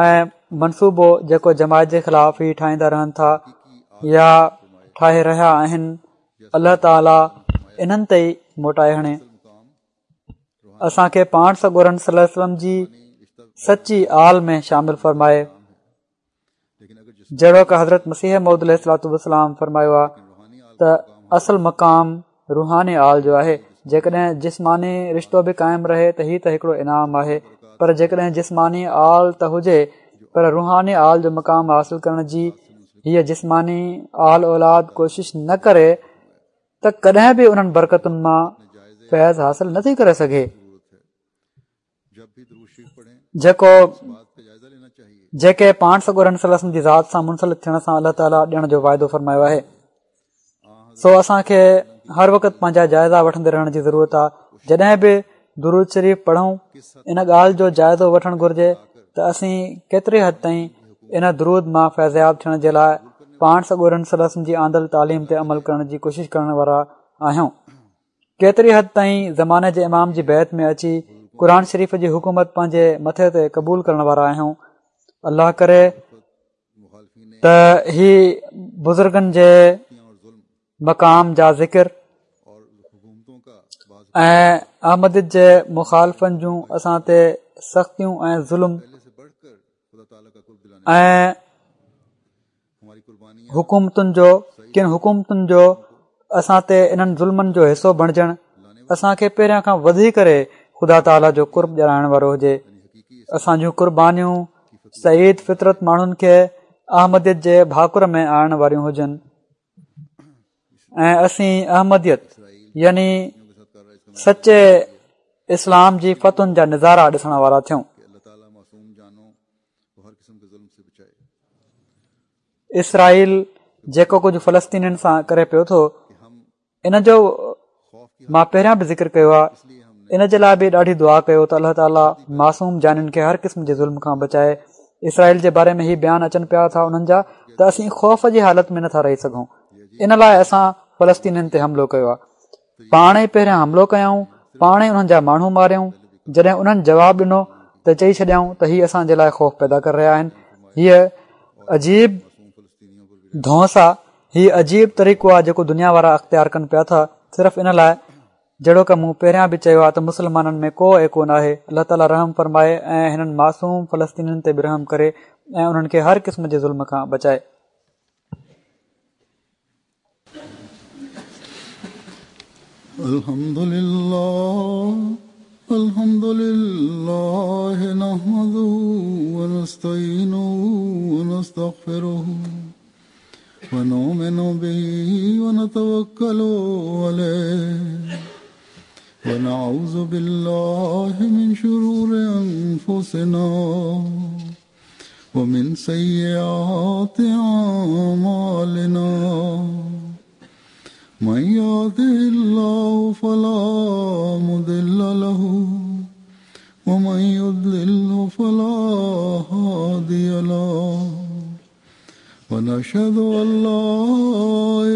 ۽ منصوبو جيڪو جماعت جي خلاف هي ٺاهيندا رهن ٿا يا ٺاهي رهيا آهن الله تعالي انهن تي ئي موٽائي هڻي اسان کي پاڻ سڳورن صلي الله عليه وسلم جي سچي آل ۾ شامل فرمائي جهڙوڪ حضرت مسيح موعود عليه الصلوة والسلام فرمايو آهي ته اصل مقام روحاني آل جو آهي جيڪڏهن جسماني رشتو به قائم رهي ته هي ته هڪڙو انعام آهي پر جيڪڏهن جسماني آل ته هجي پر روحاني آل جو مقام حاصل ڪرڻ جي هيء جسماني آل اولاد ڪوشش نه ڪري ته ڪڏهن به انهن برڪتن مان فيض حاصل نه ٿي ڪري سگهي جيڪو جيڪي پاڻ سڳورن صلي الله عليه وسلم جي ذات سان منسلڪ ٿيڻ سان الله تعاليٰ ڏيڻ جو واعدو فرمايو آهي سو اسان کي هر وقت پنهنجا جائزا وٺندي رهڻ جي ضرورت آهي جڏهن به درود شريف پڙهون ان ڳالهه جو جائزو وٺڻ گهرجي ته اسين ڪيتري حد تائين ان درود مان فيضياب ٿيڻ جي لاء پاڻ سڳورن صلي الله عليه وسلم جي آندل تعليم تي عمل ڪرڻ جي ڪوشش ڪرڻ وارا آهيون ڪيتري حد تائين زماني جي امام جي بيعت ۾ اچي قرآن شريف جي حڪومت پنهنجي مٿي تي قبول ڪرڻ وارا آهيون الله ڪري ته هي بزرگن جي مقام جا ذڪر ۽ احمديت جي مخالفن جون اسان تي سختيون ۽ ظلم ۽ حڪومتن جو ڪن حڪومتن جو اسان تي انهن ظلمن جو حصو بڻجڻ اسان کي پهريان کان وڌي ڪري خدا تعاليٰ جو قرب ڏيارائڻ وارو هجي اسان جون قربانيون سعيد فطرت ماڻهن کي احمديت جي ڀاڪر ۾ آڻڻ واريون هجن ۽ اسين احمديت يعني سچي اسلام جي فتحن جا نظارا ڏسڻ وارا ٿيون. اسرائيل جيڪو ڪجهه فلسطينين سان ڪري پيو ٿو ان جو مان پهريان به ذڪر ڪيو آهي ان جي لاء به ڏاڍي دعا ڪيو ته الله تعالي معصوم جانين کي هر قسم جي ظلم کان بچائي اسرائيل جي باري ۾ هي بيان اچن پيا ٿا انهن جا ته اسين خوف جي حالت ۾ نٿا رهي سگهون ان لاء اسان فلسطينين تي حملو ڪيو آهي پاڻ ئي پهريان حملو ڪيائون پاڻ ئي انهن جا ماڻهو ماريائون جڏهن انهن جواب ڏنو ته چئي ڇڏيائون ته هي اسان جي لاء خوف پيدا ڪري رهيا آهن هيء عجيب ڌونس آ هي عجيب طريقو آ جيڪو دنيا وارا اختيار ڪن پيا ٿا صرف ان لاء جهڙوڪ مون پهريان به چيو آ ته مسلمانن ۾ ڪو ايڪو ناهي الله تعالي رحم فرمائي ۽ هنن معصوم فلسطينين تي به رحم ڪري ۽ انهن کي هر قسم جي ظلم کان بچائي. الحمدلله. الحمد لله نحمده ونستعينه ونستغفره ونؤمن به ونتوكل عليه ونعوذ بالله من شرور أنفسنا ومن سيئات أعمالنا من يهده الله فلا مضل له ومن يضلل فلا هادي له ونشهد أن لا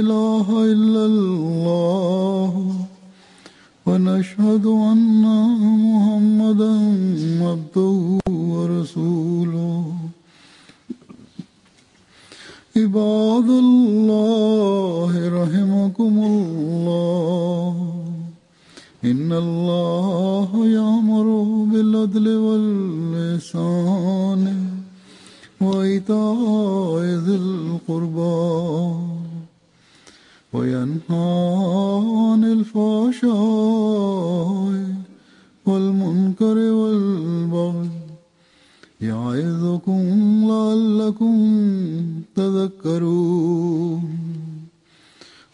إله إلا الله ونشهد أن محمدا عبده ورسوله عباد الله رحمكم الله إن الله يأمر بالعدل والإحسان وإيتاء ذي القربى وينهى عن الفحشاء والمنكر والبغي يعظكم لعلكم تذكرون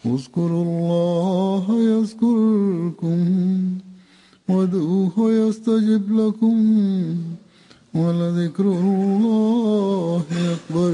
اذكروا الله يذكركم وادعوه يستجب لكم ولذكر الله أكبر.